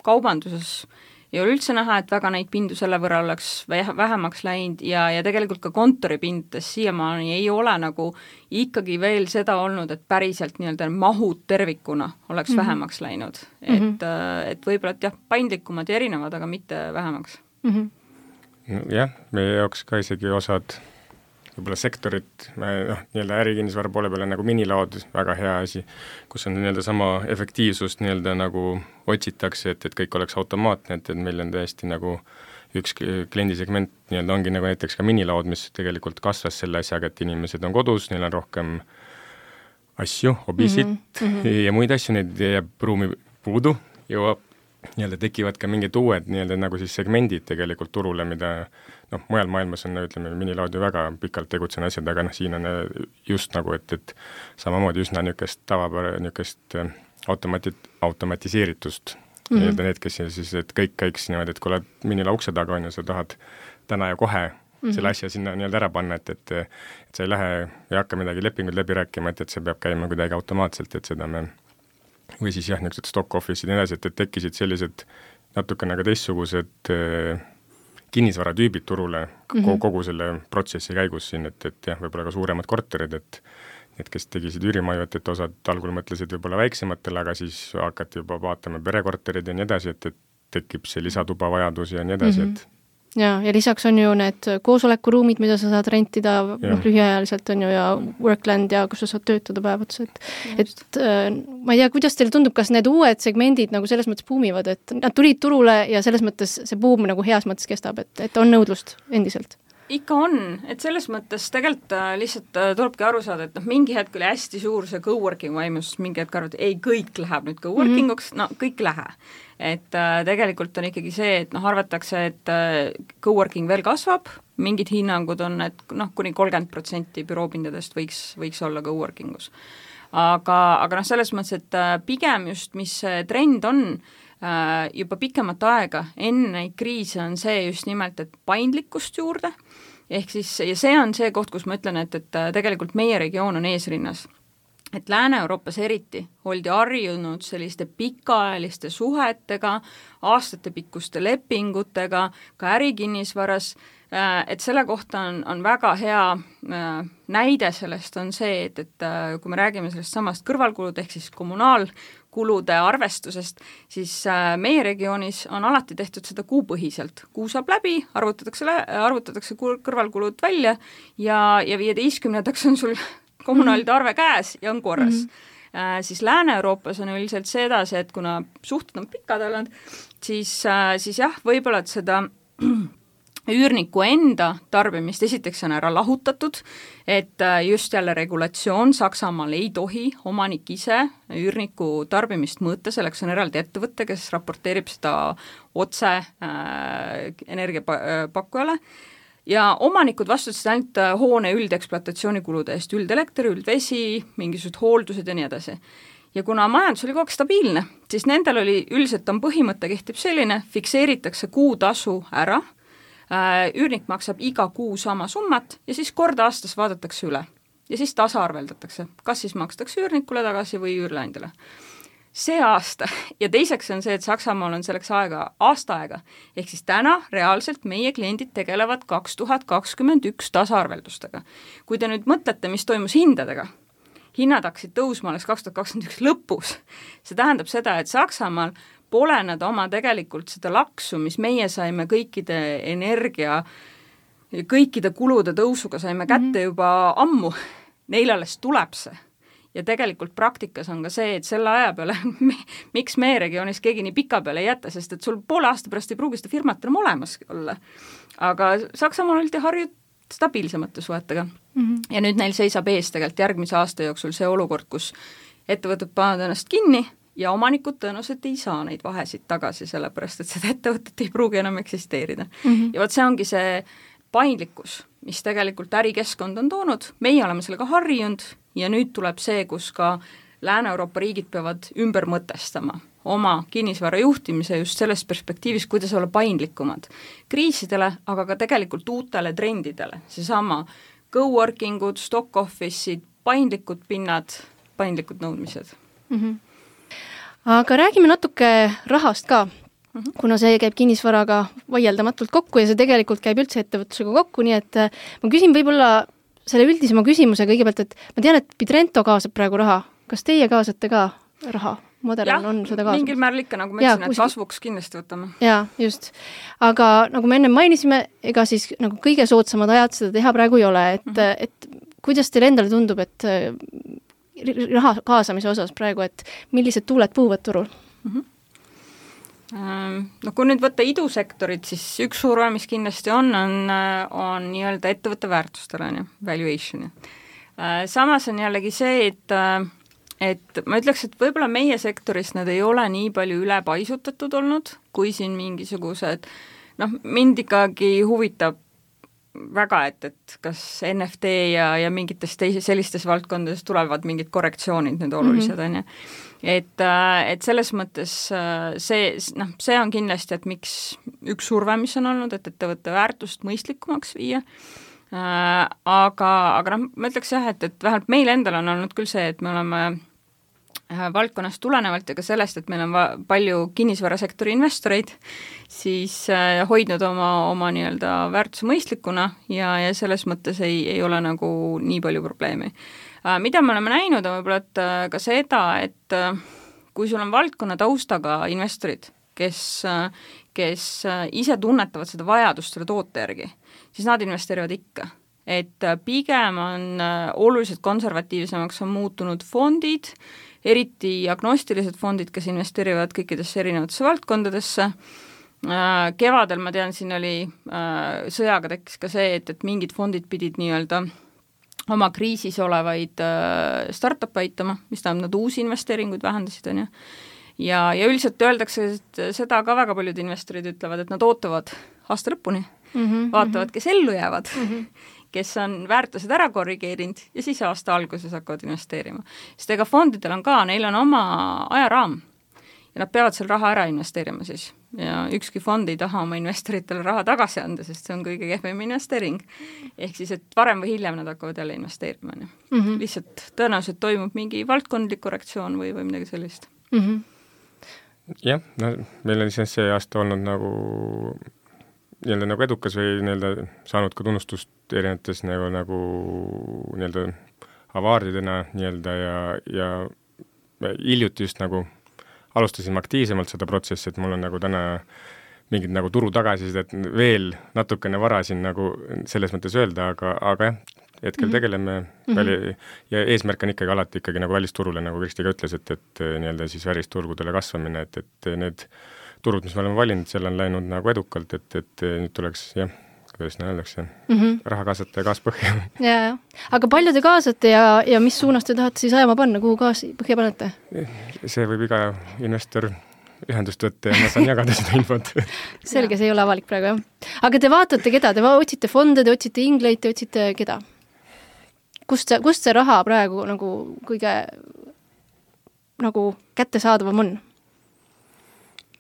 kaubanduses ei ole üldse näha, et väga neid pindu selle võrra oleks vähemaks läinud ja tegelikult ka kontoripindades siiamaani ei ole nagu ikkagi veel seda olnud, et päriselt nii-öelda mahud tervikuna oleks vähemaks läinud. Et võib-olla, et jah, paindlikumad ja erinevad, aga mitte vähemaks. Jah, meie jaoks ka isegi osad võib-olla sektorit, nii-öelda ärikinnisvara poole peale nagu minilaod, väga hea asi, kus on nii-öelda sama efektiivsust nii-öelda nagu otsitakse, et kõik oleks automaatne, et meil on täiesti nagu üks kliendisegment nii-öelda ongi nagu näiteks ka minilaod, mis tegelikult kasvas selle asjaga, et inimesed on kodus, neil on rohkem asju, hobisid ja muid asju, neid jääb ruumi puudu, jõuab nii-öelda tekivad ka mingid uued nii-öelda nagu siis segmendid tegelikult turule, mida mujal maailmas on, ütleme, minilaud ju väga pikalt tegutsen asjad, aga siin on just nagu, et samamoodi üsna niisugust niisugust automatiseeritust nii-öelda need, kes siis, et kõik käiks niimoodi, et kui oled minila ukse taga on ja sa tahad täna ja kohe selle asja sinna nii-öelda ära panna, et sa ei lähe ja hakka midagi lepingut läbi rääkima, et see peab käima kuidagi automaatselt, et seda me või siis jah, niisugused stock office'id ja nii edasi, et tekkisid sellised natukene ka teistsugused kinnisvaratüübid turule kogu selle protsessi käigus siin, et jah, võib-olla ka suuremad korterid, et kes tegisid üürimaju, et osad algul mõtlesid võib-olla väiksematele, aga siis hakati juba vaatama perekorterid ja nii edasi, et tekib see lisatuba vajadus ja nii edasi, et ja lisaks on ju need koosolekuruumid, mida sa saad rentida lühiajaliselt on ju ja workland ja kus sa saad töötada päevats, et ma ei tea, kuidas teile tundub, kas need uued segmendid nagu selles mõttes buumivad, et nad tulid turule ja selles mõttes see buum nagu heas mõttes kestab, et on nõudlust endiselt? Ikka on, et selles mõttes tegelikult lihtsalt tulebki aru saada, et mingi hetk oli hästi suur see coworking vaimus, mingi hetk arvati, ei, kõik läheb nüüd coworkinguks, kõik lähe. Et tegelikult on ikkagi see, et arvatakse, et coworking veel kasvab, mingid hinnangud on, et kuni 30% büroopindadest võiks olla coworkingus. Aga selles mõttes, et pigem just, mis trend on, juba pikemat aega enne neid kriise on see just nimelt, et paindlikkust juurde, ehk siis, ja see on see koht, kus ma ütlen, et tegelikult meie regioon on eesrinnas. Et Lääne-Euroopas eriti oldi harjunud selliste pikaajaliste suhetega, aastatepikkuste lepingutega, ka ärikinnisvaras, et selle kohta on väga hea näide sellest on see, et kui me räägime sellest samast kõrvalkulud, ehk siis kommunaalkulude arvestusest, siis meie regioonis on alati tehtud seda kuupõhiselt. Kuu saab läbi, arvutatakse kõrvalkulud välja ja 15. on sul kommunaalide arve käes ja on korras. Siis Lääne-Euroopas on üldiselt see edasi, et kuna suhted on pikad olnud, siis jah, võib-olla, et seda üürniku enda tarbimist esiteks on ära lahutatud, et just jälle regulatsioon Saksamaal ei tohi omanik ise üürniku tarbimist mõõta, selleks on eraldi ettevõte, kes raporteerib seda otse energiapakkujale ja omanikud vastutasid ainult hoone üldekspluatatsiooninkulude eest, üldelekter, üldvesi, mingisugused hooldused ja nii edasi. Ja kuna majandus oli kogu aeg stabiilne, siis nendel oli üldiselt on põhimõte kehtib selline, fikseeritakse kuutasu ära, üürnik maksab iga kuu sama summat ja siis kord aastas vaadatakse üle ja siis tasaarveldatakse, kas siis makstakse üürnikule tagasi või üürleandjale. See aasta ja teiseks on see, et Saksamaal on selleks aasta aega, ehk siis täna reaalselt meie kliendid tegelevad 2021 tasaarveldustega. Kui te nüüd mõtlete, mis toimus hindadega, hinnad hakkasid tõusma alles 2021 lõpus, see tähendab seda, et Saksamaal pole nad oma tegelikult seda laksu, mis meie saime kõikide energia, kõikide kulude tõusuga saime kätte juba ammu, neil alles tuleb see. Ja tegelikult praktikas on ka see, et selle aja peale, miks meie regioonis keegi nii pika peale ei jäta, sest et sul poole aasta pärast ei pruugi seda firmat enam olemas olla. Aga Saksamaal oldi harjud stabiilsemate suhetega. Ja nüüd neil seisab ees tegelikult järgmise aasta jooksul see olukord, kus ettevõtted panevad ennast kinni ja omanikud tõenäoliselt ei saa neid vahesid tagasi, sellepärast et seda ettevõtet ei pruugi enam eksisteerida. Ja võt see ongi see paindlikkus, mis tegelikult ärikeskkond on toonud, meie oleme sellega harjunud ja nüüd tuleb see, kus ka Lääne-Euroopa riigid peavad ümber mõtestama oma kinnisvara juhtimise just selles perspektiivis, kuidas olla paindlikumad kriisidele, aga ka tegelikult uutele trendidele, seesama coworkingud, stock office'id, paindlikud pinnad, paindlikud nõudmised. Aga räägime natuke rahast ka, kuna see käib kinnisvaraga vaieldamatult kokku ja see tegelikult käib üldse ettevõtlusega kokku, nii et ma küsin võib-olla selle üldisema küsimuse kõigepealt, et ma tean, et Pidrento kaasab praegu raha. Kas teie kaasate ka raha? Modern on seda kaasamas. Mingil määral ikka, nagu ma ütlesin, et kasvuks kindlasti võtame. Jaa, just. Aga nagu me enne mainisime, ega siis nagu kõige soodsamad ajad seda teha praegu ei ole, et kuidas teile endale tundub, et raha kaasamise osas praegu, et millised tuuled puhuvad turul? No kui nüüd võtta idusektorit, siis üks surve, mis kindlasti on nii-öelda ettevõtte väärtustele, valuation. Samas on jällegi see, et ma ütleks, et võib-olla meie sektoris need ei ole nii palju ülepaisutatud olnud, kui siin mingisugused, mind ikkagi huvitab väga, et kas NFT ja mingites sellistes valdkondades tulevad mingid korrektsioonid, need olulised on ja. Et selles mõttes see on kindlasti, et miks üks surve, mis on olnud, et ettevõtte väärtust mõistlikumaks viia, aga ma ütleks jah, et vähemalt meil endal on olnud küll see, et me oleme valdkonnast tulenevalt ja ka sellest, et meil on palju kinnisvarasektori investoreid, siis hoidnud oma nii-öelda väärtuse mõistlikuna ja selles mõttes ei ole nagu nii palju probleemi. Mida me oleme näinud on võib-olla ka seda, et kui sul on valdkonna taustaga investorid, kes ise tunnetavad seda vajadust selle toote järgi, siis nad investeerivad ikka. Et pigem on oluliselt konservatiivsemaks on muutunud fondid, eriti agnostilised fondid, kes investeerivad kõikidesse erinevatesse valdkondadesse. Kevadel, ma tean, siin oli sõjaga tekkis ka see, et mingid fondid pidid nii-öelda oma kriisis olevaid startup aitama, mis tähendab, nad uusi investeeringuid vähendasid, on ju. Ja üldiselt öeldakse, et seda ka väga paljud investorid ütlevad, et nad ootavad aasta lõpuni, vaatavad, kes ellu jäävad, kes on väärtused ära korrigeerinud ja siis aasta alguses hakkavad investeerima. Sest ega fondidel on ka, neil on oma ajaraam ja nad peavad seal raha ära investeerima siis. Ja ükski fond ei taha oma investoritele raha tagasi anda, sest see on kõige kehvem investeering. Ehk siis, et varem või hiljem nad hakkavad jälle investeerima. Lihtsalt tõenäoliselt toimub mingi valdkondlik korrektsioon või midagi sellist. Jah, meil on siis see aasta olnud nagu edukas või saanud ka tunnustust erinevates nagu avaardidena ja hiljuti just nagu alustasime aktiivsemalt seda protsessi, et mul on nagu täna mingid nagu turu tagasisidet veel natukene vara siin nagu selles mõttes öelda, aga jah, hetkel tegeleme ja eesmärk on ikkagi alati nagu välisturule, nagu Kristi ka ütles, et siis välisturgudele kasvamine, et need turud, mis me oleme valinud, seal on läinud nagu edukalt, et nüüd tuleks kuidas öeldakse, raha kaasata ja gaas põhja. Jaa. Aga palju te kaasate ja mis suunas te tahate siis ajama panna, kuhu gaasi põhja panete? See võib iga investor ühendust võtta ja ma saan jagada seda infot. Selge, see ei ole avalik praegu, jah. Aga te vaatate keda? Te otsite fonde, te otsite ingleid, te otsite keda? Kust see raha praegu nagu kõige nagu kättesaadavam on?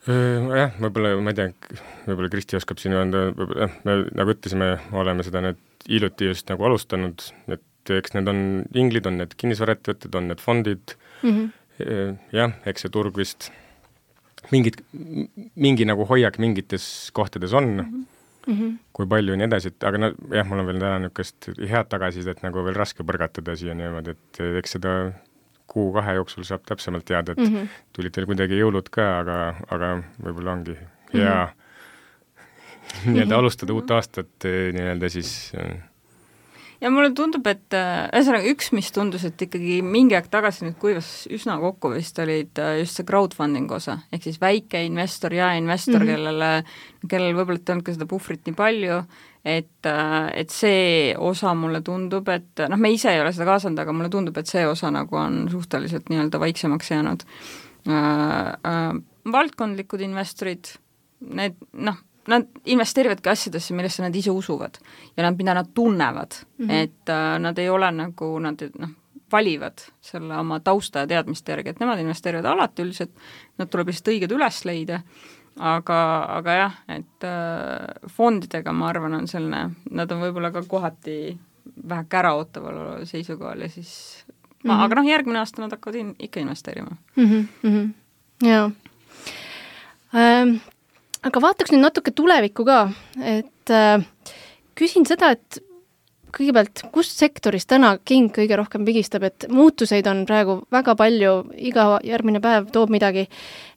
Jah, võib-olla, ma ei tea, võib-olla Kristi oskab siin öelda, me nagu ütlesime, oleme seda nüüd hiljuti just nagu alustanud, et eks need on inglid, on need kinnisvaraettevõtted, on need fondid, jah, eks see turg vist mingi nagu hoiak mingites kohtades on, kui palju ja nii edasi, et aga jah, mul on veel täna niisugust head tagasisidet nagu veel raske põrgatada siia niimoodi, et eks seda 1-2 jooksul saab täpsemalt teada, et tulid teil kuidagi jõulud ka, aga võib-olla ongi hea nii-öelda alustada uut aastat nii-öelda siis ja mulle tundub, et ühesõnaga üks, mis tundus, et ikkagi mingi aeg tagasi nüüd kuivas üsna kokku vist olid just see crowdfunding osa, ehk siis väike investor ja investor, kellel võib-olla ei olnud ka seda puhvrit nii palju, et see osa mulle tundub, et me ise ei ole seda kaasanud, aga mulle tundub, et see osa nagu on suhteliselt nii-öelda vaiksemaks jäänud. Valdkondlikud investorid, nad investeerivadki asjadesse, millesse nad ise usuvad ja mida nad tunnevad, et nad ei ole nagu, nad valivad selle oma tausta ja teadmiste järgi, et nemad investeerivad alati üldiselt, nad tuleb lihtsalt õiged üles leida, aga jah, et fondidega ma arvan on selline, nad on võib-olla ka kohati väheke äraootaval seisukohal ja siis aga järgmine aasta nad hakkavad ikka investeerima. Jaa. Aga vaataks nüüd natuke tulevikku ka, et küsin seda, et kõigepealt, kust sektoris täna king kõige rohkem pigistab, et muutuseid on praegu väga palju, iga järgmine päev toob midagi,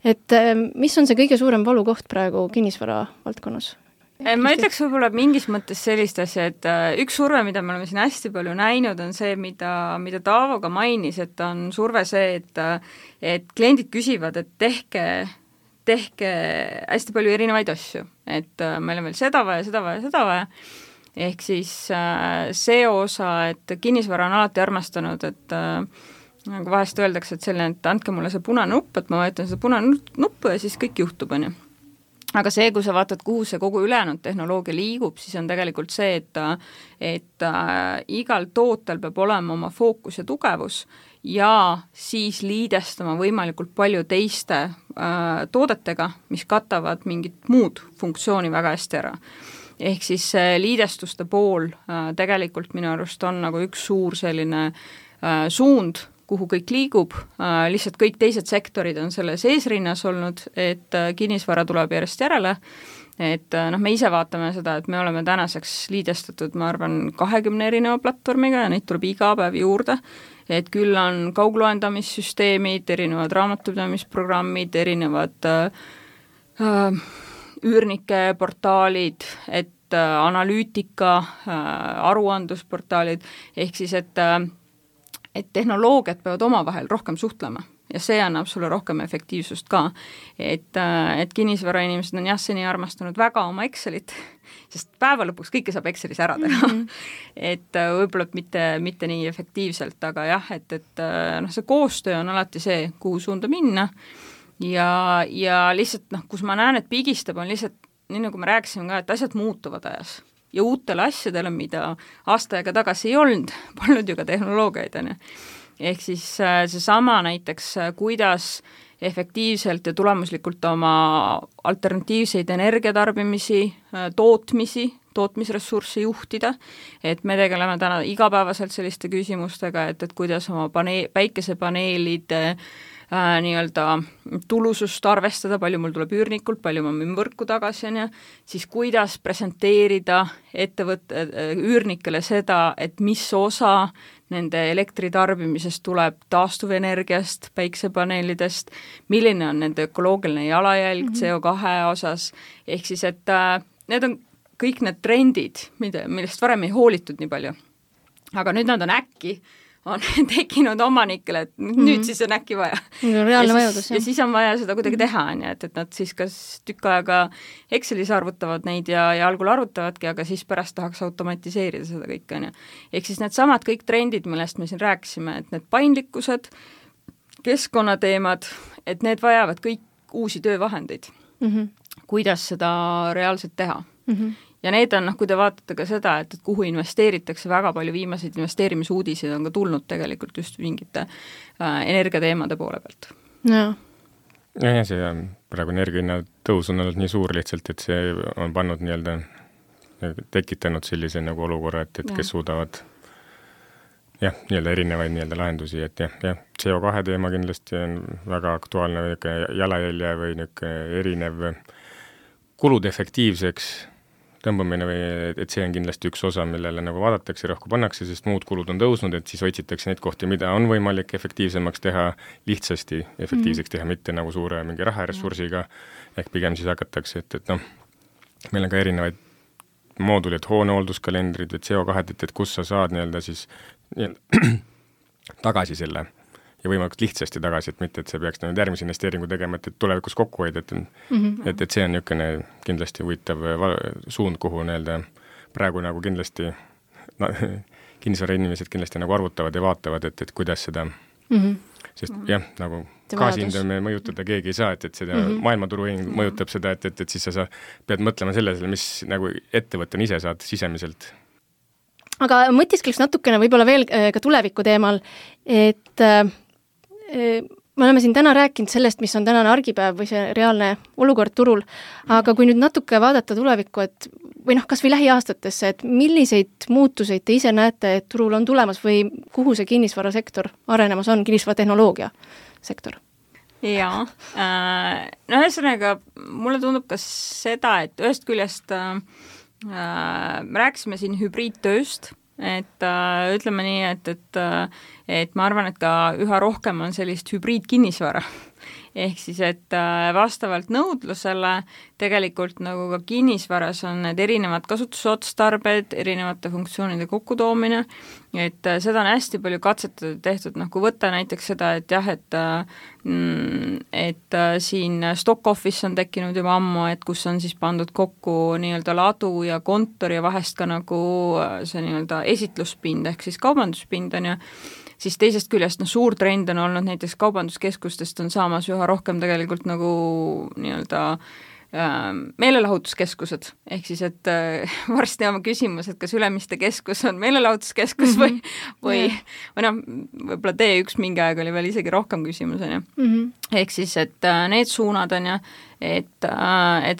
et mis on see kõige suurem valukoht praegu kinnisvara valdkonnas? Ma ütleks võib-olla mingis mõttes sellist asja, et üks surve, mida me oleme siin hästi palju näinud, on see, mida Taavo ka mainis, et on surve see, et kliendid küsivad, et tehke hästi palju erinevaid asju, et meil on veel seda vaja, ehk siis see osa, et kinnisvara on alati armastanud, et nagu vahest öeldakse, et selline, et andke mulle see punane nupp, et ma vajutan seda punane nuppu ja siis kõik juhtub, on ju. Aga see, kui sa vaatad, kuhu see kogu ülejäänud tehnoloogia liigub, siis on tegelikult see, et igal tootel peab olema oma fookus ja tugevus ja siis liidestama võimalikult palju teiste toodetega, mis katavad mingit muud funktsiooni väga hästi ära. Ehk siis liidestuste pool tegelikult minu arust on nagu üks suur selline suund, kuhu kõik liigub, lihtsalt kõik teised sektorid on selles eesrinnas olnud, et kinnisvara tuleb järjest järele, et me ise vaatame seda, et me oleme tänaseks liidestatud, ma arvan, 20 erineva platvormiga ja neid tuleb iga päev juurde, et küll on kaugloendamissüsteemid, erinevad raamatupidamisprogrammid, erinevad üürnike portaalid, et analüütika, aruandlusportaalid, ehk siis, et tehnoloogiad peavad omavahel rohkem suhtlema ja see annab sulle rohkem efektiivsust ka, et kinnisvara inimesed on jah, seni armastanud väga oma Excelit, sest päeva lõpuks kõike saab Excelis ära teha, et võib-olla mitte nii efektiivselt, aga jah, et see koostöö on alati see, kuhu suunda minna ja lihtsalt kus ma näen, et pigistab, on lihtsalt, nii nagu me rääkisime ka, et asjad muutuvad ajas ja uutele asjadele, mida aasta aega tagasi ei olnud, polnud ju ka tehnoloogiaid, on ju. Ehk siis seesama näiteks, kuidas efektiivselt ja tulemuslikult oma alternatiivseid energiatarbimisi, tootmisressurssi juhtida, et me tegeleme täna igapäevaselt selliste küsimustega, et kuidas oma päikesepaneelide nii-öelda tulusust arvestada, palju mul tuleb üürnikult, palju ma müün võrku tagasi, on ju, siis kuidas presenteerida üürnikele seda, et mis osa nende elektritarbimisest tuleb taastuvenergiast, päiksepaneelidest, milline on nende ökoloogiline jalajälg CO2 osas, ehk siis, et need on kõik need trendid, millest varem ei hoolitud nii palju. Aga nüüd nad on äkki on tekkinud omanikele, et nüüd siis on äkki vaja. Reaalne vajadus, ja siis on vaja seda kuidagi teha, et nad siis kas tükk aega Excelis arvutavad neid ja algul arvutavadki, aga siis pärast tahaks automatiseerida seda kõike, on ju. Ehk siis need samad kõik trendid, millest me siin rääkisime, et need paindlikkused, keskkonnateemad, et need vajavad kõik uusi töövahendeid. Kuidas seda reaalselt teha. Ja need on, kui te vaatate ka seda, et kuhu investeeritakse, väga palju viimaseid investeerimisuudiseid on ka tulnud tegelikult just mingite energiateemade poole pealt. Ja see praegu energiahinna tõus on olnud nii suur lihtsalt, et see on pannud tekitanud sellise nagu olukorra, et kes suudavad erinevaid lahendusi, et CO2 teema kindlasti on väga aktuaalne jalajälje või erinev kulude efektiivseks tõmbamine või et see on kindlasti üks osa, millele nagu vaadatakse, rohku pannakse, sest muud kulud on tõusnud, et siis otsitakse neid kohti, mida on võimalik efektiivsemaks teha, lihtsasti efektiivseks teha, mitte nagu suure mingi raharessursiga, ehk pigem siis hakatakse, et meil on ka erinevaid moodulid, hoonehoolduskalendrid või CO2, et kus sa saad siis tagasi selle ja võimalikult lihtsasti tagasi, et mitte, et see peaks järgmise investeeringu tegema, et tulevikus kokku hoida, et see on niisugune kindlasti huvitav suund, kuhu praegu nagu kindlasti kinnisvara inimesed kindlasti nagu arvutavad ja vaatavad, et kuidas seda, sest nagu gaasihindame mõjutada keegi ei saa, et seda maailmaturuhind mõjutab seda, et siis sa pead mõtlema sellele, mis nagu ettevõttena ise saad sisemiselt. Aga mõtiskliks natukene võib-olla veel ka tuleviku teemal, et me oleme siin täna rääkinud sellest, mis on tänane argipäev või see reaalne olukord turul, aga kui nüüd natuke vaadata tulevikku, või kas või lähiaastatesse, et milliseid muutuseid te ise näete, et turul on tulemas või kuhu see kinnisvarasektor arenemas on, kinnisvaratehnoloogia sektor? Jaa, ühesõnaga mulle tundub ka seda, et ühest küljest me rääkisime siin hübriidtööst, et ütleme nii, et ma arvan, et ka üha rohkem on sellist hübriidkinnisvara. Ehk siis, et vastavalt nõudlusele tegelikult nagu ka kinnisvaras on need erinevad kasutusotstarbed, erinevate funktsioonide kokkutoomine, et seda on hästi palju katsetatud tehtud, kui võtta näiteks seda, et jah, et siin stock office on tekkinud juba ammu, et kus on siis pandud kokku nii-öelda ladu ja kontor ja vahest ka nagu see nii-öelda esitluspind ehk siis kaubanduspind on ju, siis teisest küljest suur trend on olnud näiteks kaubanduskeskustest on saamas üha rohkem tegelikult nagu nii-öelda meelelahutuskeskused, ehk siis, et varsti on küsimus, et kas Ülemiste keskus on meelelahutuskeskus või võib-olla D1 mingi aeg oli veel isegi rohkem küsimus, on ju. Ehk siis, et need suunad on ju, et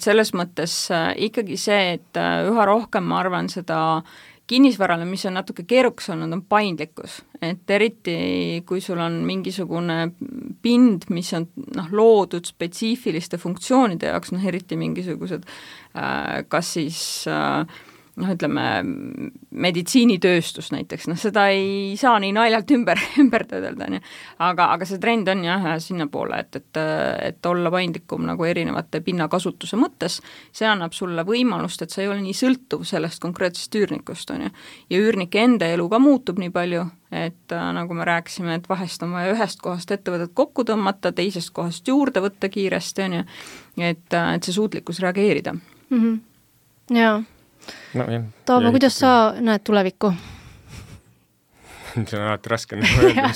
selles mõttes ikkagi see, et üha rohkem ma arvan seda kinnisvarale, mis on natuke keerukas olnud, on paindlikkus, et eriti kui sul on mingisugune pind, mis on loodud spetsiifiliste funktsioonide jaoks, eriti mingisugused kas siis ütleme, meditsiinitööstus näiteks, seda ei saa nii naljalt ümber töödelda, aga see trend on jah sinna poole, et olla paindlikum nagu erinevate pinnakasutuse mõttes, see annab sulle võimalust, et sa ei ole nii sõltuv sellest konkreetsest üürnikust, on ju. Ja üürnike enda elu ka muutub nii palju, et nagu me rääkisime, et vahest on vaja ühest kohast ettevõtet kokku tõmmata, teisest kohast juurde võtta kiiresti, on ju, et see suutlikkus reageerida. Jaa. Taavo, kuidas sa näed tulevikku? See on alati raske öelda,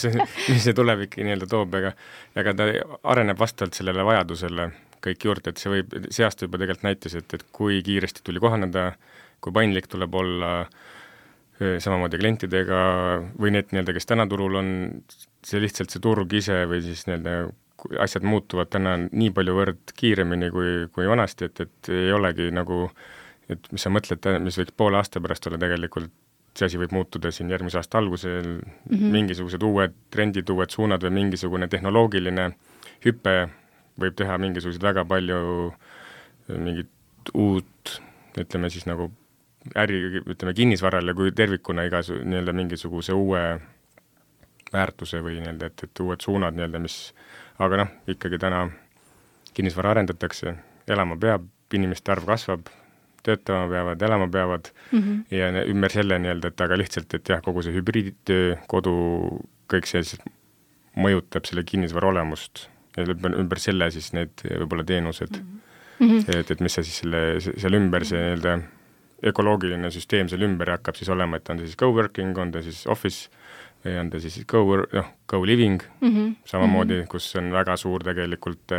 mis see tulevik nii-öelda toob, aga ta areneb vastavalt sellele vajadusele kõik juurde, et see aasta juba tegelikult näitas, et kui kiiresti tuli kohaneda, kui paindlik tuleb olla samamoodi klientidega või need nii-öelda, kes täna turul on, see lihtsalt see turg ise või siis nii-öelda asjad muutuvad täna nii palju võrd kiiremini kui vanasti, et ei olegi nagu et mis sa mõtled, mis võiks poole aasta pärast olla tegelikult, see asi võib muutuda siin järgmise aasta algusel, mingisugused uued trendid, uued suunad või mingisugune tehnoloogiline hüpe võib teha mingisugused väga palju mingit uut, ütleme siis nagu kinnisvarale kui tervikuna nii-öelda mingisuguse uue väärtuse või nii-öelda, et uued suunad nii-öelda, mis, aga ikkagi täna kinnisvara arendatakse, elama peab, inimeste arv kasvab, töötama peavad, elama peavad ja ümber selle nii-öelda, et aga lihtsalt, et jah, kogu see hübriidtöö, kodu, kõik see siis mõjutab selle kinnisvara olemust ja ümber selle siis need võib-olla teenused, et mis see siis selle ümber see nii-öelda ökoloogiline süsteem seal ümber hakkab siis olema, et on ta siis co-working, on ta siis office või on ta siis co-living, samamoodi, kus on väga suur tegelikult,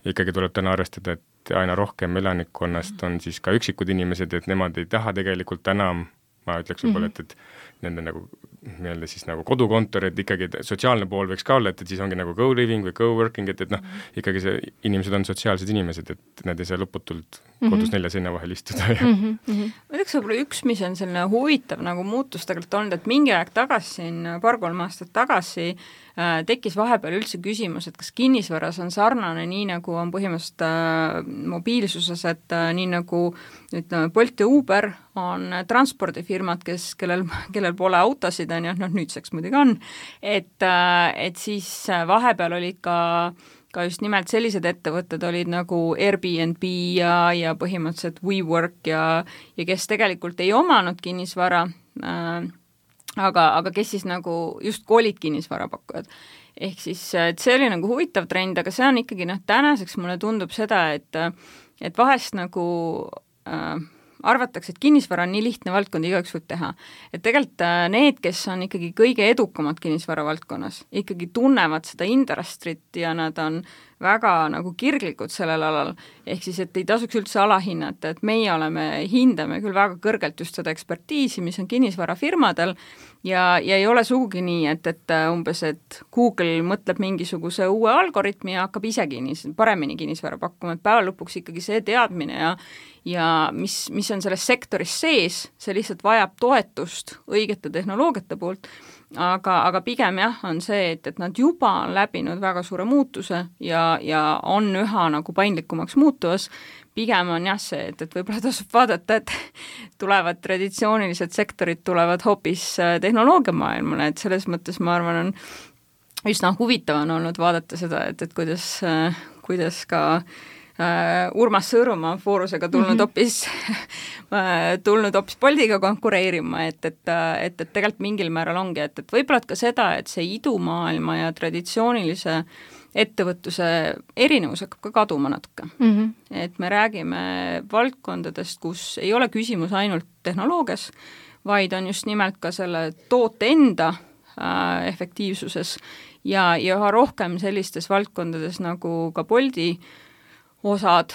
ikkagi tuleb täna arvestada, et aina rohkem elanikkonnast on siis ka üksikud inimesed, et nemad ei taha tegelikult enam, ma ütleks võib-olla, et nende nagu nii-öelda siis nagu kodukontor, et ikkagi sotsiaalne pool võiks ka olla, et siis ongi nagu co-living või co-working, et noh, ikkagi see inimesed on sotsiaalsed inimesed, et nad ei saa lõputult kodus 4 seina vahel istuda. Ma ütleks võib-olla üks, mis on selline huvitav nagu muutus tegelikult olnud, et mingi aeg tagasi, 2-3 aastat tagasi tekkis vahepeal üldse küsimus, et kas kinnisvaras on sarnane nii, nagu on põhimõtteliselt mobiilsuses, et nii nagu ütleme, Bolt ja Uber on transpordifirmad, kellel pole autosid, on ju, nüüdseks muidugi on, et siis vahepeal olid ka just nimelt sellised ettevõtted olid nagu Airbnb ja põhimõtteliselt WeWork ja kes tegelikult ei omanud kinnisvara, aga kes siis nagu just olid kinnisvarapakkujad. Ehk siis, et see oli nagu huvitav trend, aga see on ikkagi, tänaseks mulle tundub seda, et vahest nagu arvatakse, et kinnisvara on nii lihtne valdkond, igaüks võib teha. Et tegelikult need, kes on ikkagi kõige edukamad kinnisvara valdkonnas, ikkagi tunnevad seda industrit ja nad on väga nagu kirglikud sellel alal, ehk siis, et ei tasuks üldse alahinnata, et meie hindame küll väga kõrgelt just seda ekspertiisi, mis on kinnisvarafirmadel ja ei ole sugugi nii, et umbes, et Google mõtleb mingisuguse uue algoritmi ja hakkab ise paremini kinnisvara pakkuma, et päeva lõpuks ikkagi see teadmine ja mis on selles sektoris sees, see lihtsalt vajab toetust õigete tehnoloogiate poolt, aga pigem jah, on see, et nad juba on läbinud väga suure muutuse ja on üha nagu paindlikumaks muutuvas, pigem on jah see, et võib-olla tasub vaadata, et tulevad traditsioonilised sektorid, tulevad hoopis tehnoloogiamaailmale, et selles mõttes ma arvan, on üsna huvitav on olnud vaadata seda, et kuidas ka Urmas Sõõrumaa Foorusega tulnud hoopis Boltiga konkureerima, et tegelikult mingil määral ongi, et võib-olla ka seda, et see idumaailma ja traditsioonilise ettevõtluse erinevus hakkab ka kaduma natuke. Et me räägime valdkondadest, kus ei ole küsimus ainult tehnoloogias, vaid on just nimelt ka selle toote enda efektiivsuses ja üha rohkem sellistes valdkondades nagu ka Bolti osad,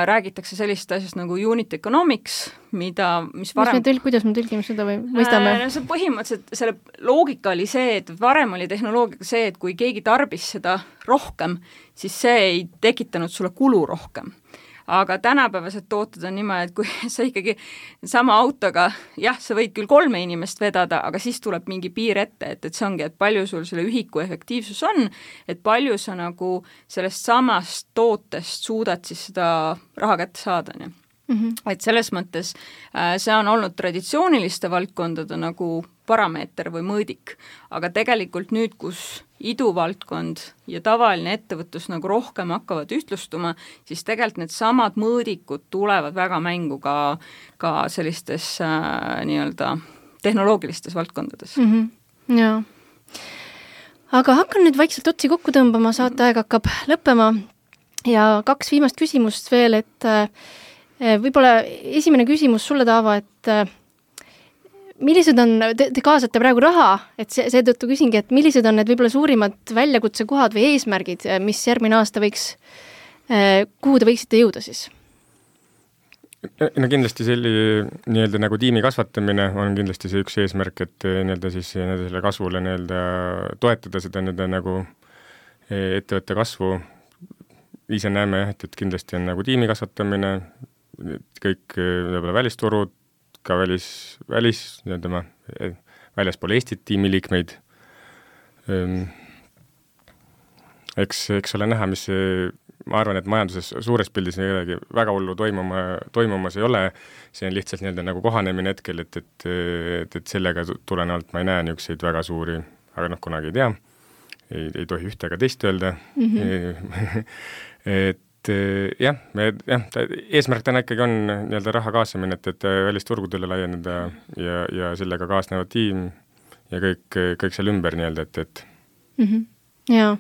räägitakse sellist asjast nagu unit economics, kuidas me tõlgime seda või mõistame? See põhimõtteliselt, selle loogika oli see, et varem oli tehnoloogiaga see, et kui keegi tarbis seda rohkem, siis see ei tekitanud sulle kulu rohkem. Aga tänapäevased tooted on niimoodi, et kui sa ikkagi sama autoga, jah, sa võid küll 3 inimest vedada, aga siis tuleb mingi piir ette, et see ongi, et palju sul selle ühiku efektiivsus on, et palju sa nagu sellest samast tootest suudad siis seda raha kätte saada, nii. Et selles mõttes see on olnud traditsiooniliste valdkondade nagu parameeter või mõõdik, aga tegelikult nüüd, kus iduvaldkond ja tavaline ettevõtlus nagu rohkem hakkavad ühtlustuma, siis tegelikult need samad mõõdikud tulevad väga mängu ka sellistes nii-öelda tehnoloogilistes valdkondades. Jaa. Aga hakkan nüüd vaikselt otsi kokku tõmbama, saateaeg hakkab lõppema ja 2 viimast küsimust veel, et võib-olla esimene küsimus sulle, Taavo, et millised on, te kaasate praegu raha, et seetõttu küsingi, et millised on need võib-olla suurimad väljakutsekohad või eesmärgid, mis järgmine aasta kuhu te võiksite jõuda siis? No kindlasti nii-öelda nagu tiimi kasvatamine on kindlasti see üks eesmärk, et nii-öelda siis selle kasvule nii-öelda toetada seda nii-öelda nagu ettevõtte kasvu. Ise näeme, et kindlasti on nagu tiimi kasvatamine, kõik välisturud, ka väljaspool Eestit tiimiliikmeid. Eks ole näha, mis ma arvan, et majanduses suures pildis väga hullu toimumas ei ole, see on lihtsalt nii-öelda nagu kohanemine hetkel, et sellega tulenevalt ma ei näe niisuguseid väga suuri, aga kunagi ei tea, ei tohi ühte ega teist öelda. jah, eesmärk täna ikkagi on nii-öelda raha kaasamine, et välisturgudele laieneda ja sellega kaasnevad tiim ja kõik seal ümber nii-öelda, et Jaa.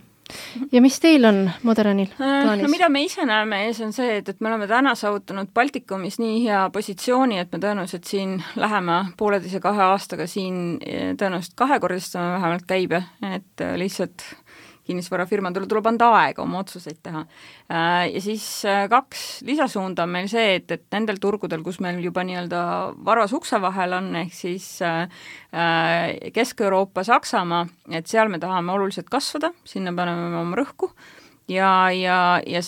Ja mis teil on Moderanil plaanis? No mida me ise näeme ees on see, et me oleme täna saavutanud Baltikumis nii hea positsiooni, et me tõenäoliselt siin läheme 1,5–2 aastaga siin tõenäoliselt 2-kordistame vähemalt käibe, et lihtsalt kinnisvarafirmadele tuleb anda aega oma otsuseid teha. Ja siis 2 lisasuunda on meil see, et nendel turgudel, kus meil juba nii-öelda varvas ukse vahel on, ehk siis Kesk-Euroopa, Saksamaa, et seal me tahame oluliselt kasvada, sinna paneme oma rõhku ja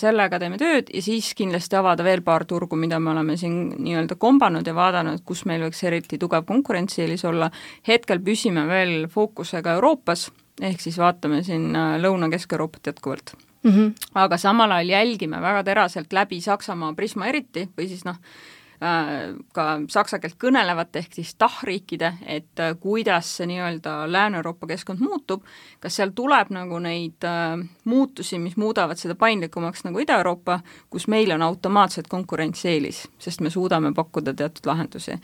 sellega teeme tööd ja siis kindlasti avada veel paar turgu, mida me oleme siin nii-öelda kombanud ja vaadanud, kus meil võiks eriti tugev konkurentsieelis olla. Hetkel püsime veel fookusega Euroopas, ehk siis vaatame siin Lõuna-Kesk-Euroopat jätkuvalt. Aga samal ajal jälgime väga teraselt läbi Saksamaa Prisma eriti või siis ka saksa keelt kõnelevat ehk siis tahriikide, et kuidas see nii-öelda Lääne-Euroopa keskkond muutub, kas seal tuleb nagu neid muutusi, mis muudavad seda paindlikumaks nagu Ida-Euroopa, kus meil on automaatselt konkurentsieelis, sest me suudame pakkuda teatud lahendusi.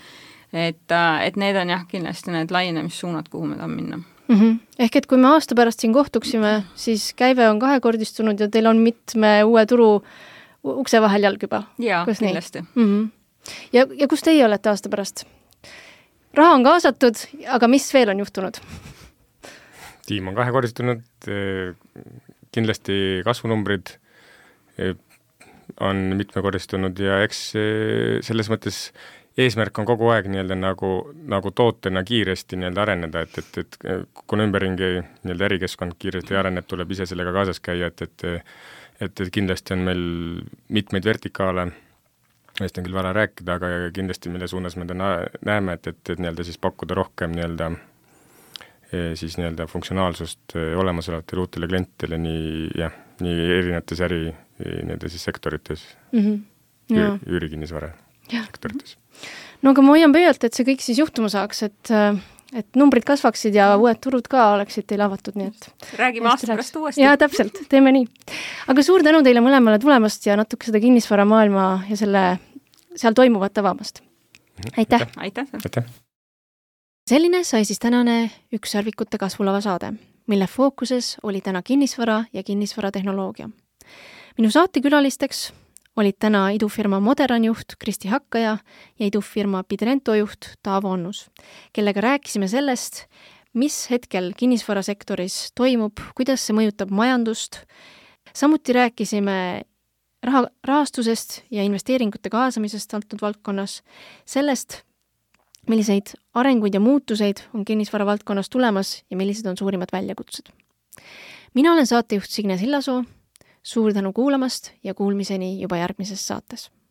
Et need on jah kindlasti need laienemissuunad, kuhu me tahame minna. Ehk et kui me aasta pärast siin kohtuksime, siis käive on 2-kordistunud ja teil on mitme uue turu ukse vahel jalg juba. Jaa, kindlasti. Ja kus teie olete aasta pärast? Raha on kaasatud, aga mis veel on juhtunud? Tiim on 2-kordistunud, kindlasti kasvunumbrid on mitmekordistunud ja eks selles mõttes eesmärk on kogu aeg nii-öelda nagu tootena kiiresti nii-öelda areneda, et kuna ümberringi nii-öelda ärikeskkond kiiresti areneb, tuleb ise sellega kaasas käia, et kindlasti on meil mitmeid vertikaale, millest on küll vara rääkida, aga kindlasti mille suunas me näeme, et nii-öelda siis pakkuda rohkem nii-öelda siis nii-öelda funktsionaalsust olemasolevatele uutele klientidele nii erinevates nii-öelda siis sektorites, üürikinnisvara sektorites. No aga ma hoian pöialt, et see kõik siis juhtuma saaks, et numbrid kasvaksid ja uued turud ka oleksid teil avatud, nii et räägime aasta pärast uuesti. Jaa, täpselt, teeme nii. Aga suur tänu teile mõlemale tulemast ja natuke seda kinnisvara maailma ja seal toimuvat avamast. Aitäh! Aitäh! Selline sai siis tänane Ükssarvikute kasvulava saade, mille fookuses oli täna kinnisvara ja kinnisvaratehnoloogia. Minu saatekülalisteks olid täna idufirma Moderan juht Kristi Hakkaja ja idufirma Pidrento juht Taavo Onnus, kellega rääkisime sellest, mis hetkel kinnisvarasektoris toimub, kuidas see mõjutab majandust. Samuti rääkisime rahastusest ja investeeringute kaasamisest antud valdkonnas, sellest, milliseid arenguid ja muutuseid on kinnisvara valdkonnas tulemas ja millised on suurimad väljakutsed. Mina olen saatejuht Signe Sillasoo. Suur tänu kuulamast ja kuulmiseni juba järgmises saates.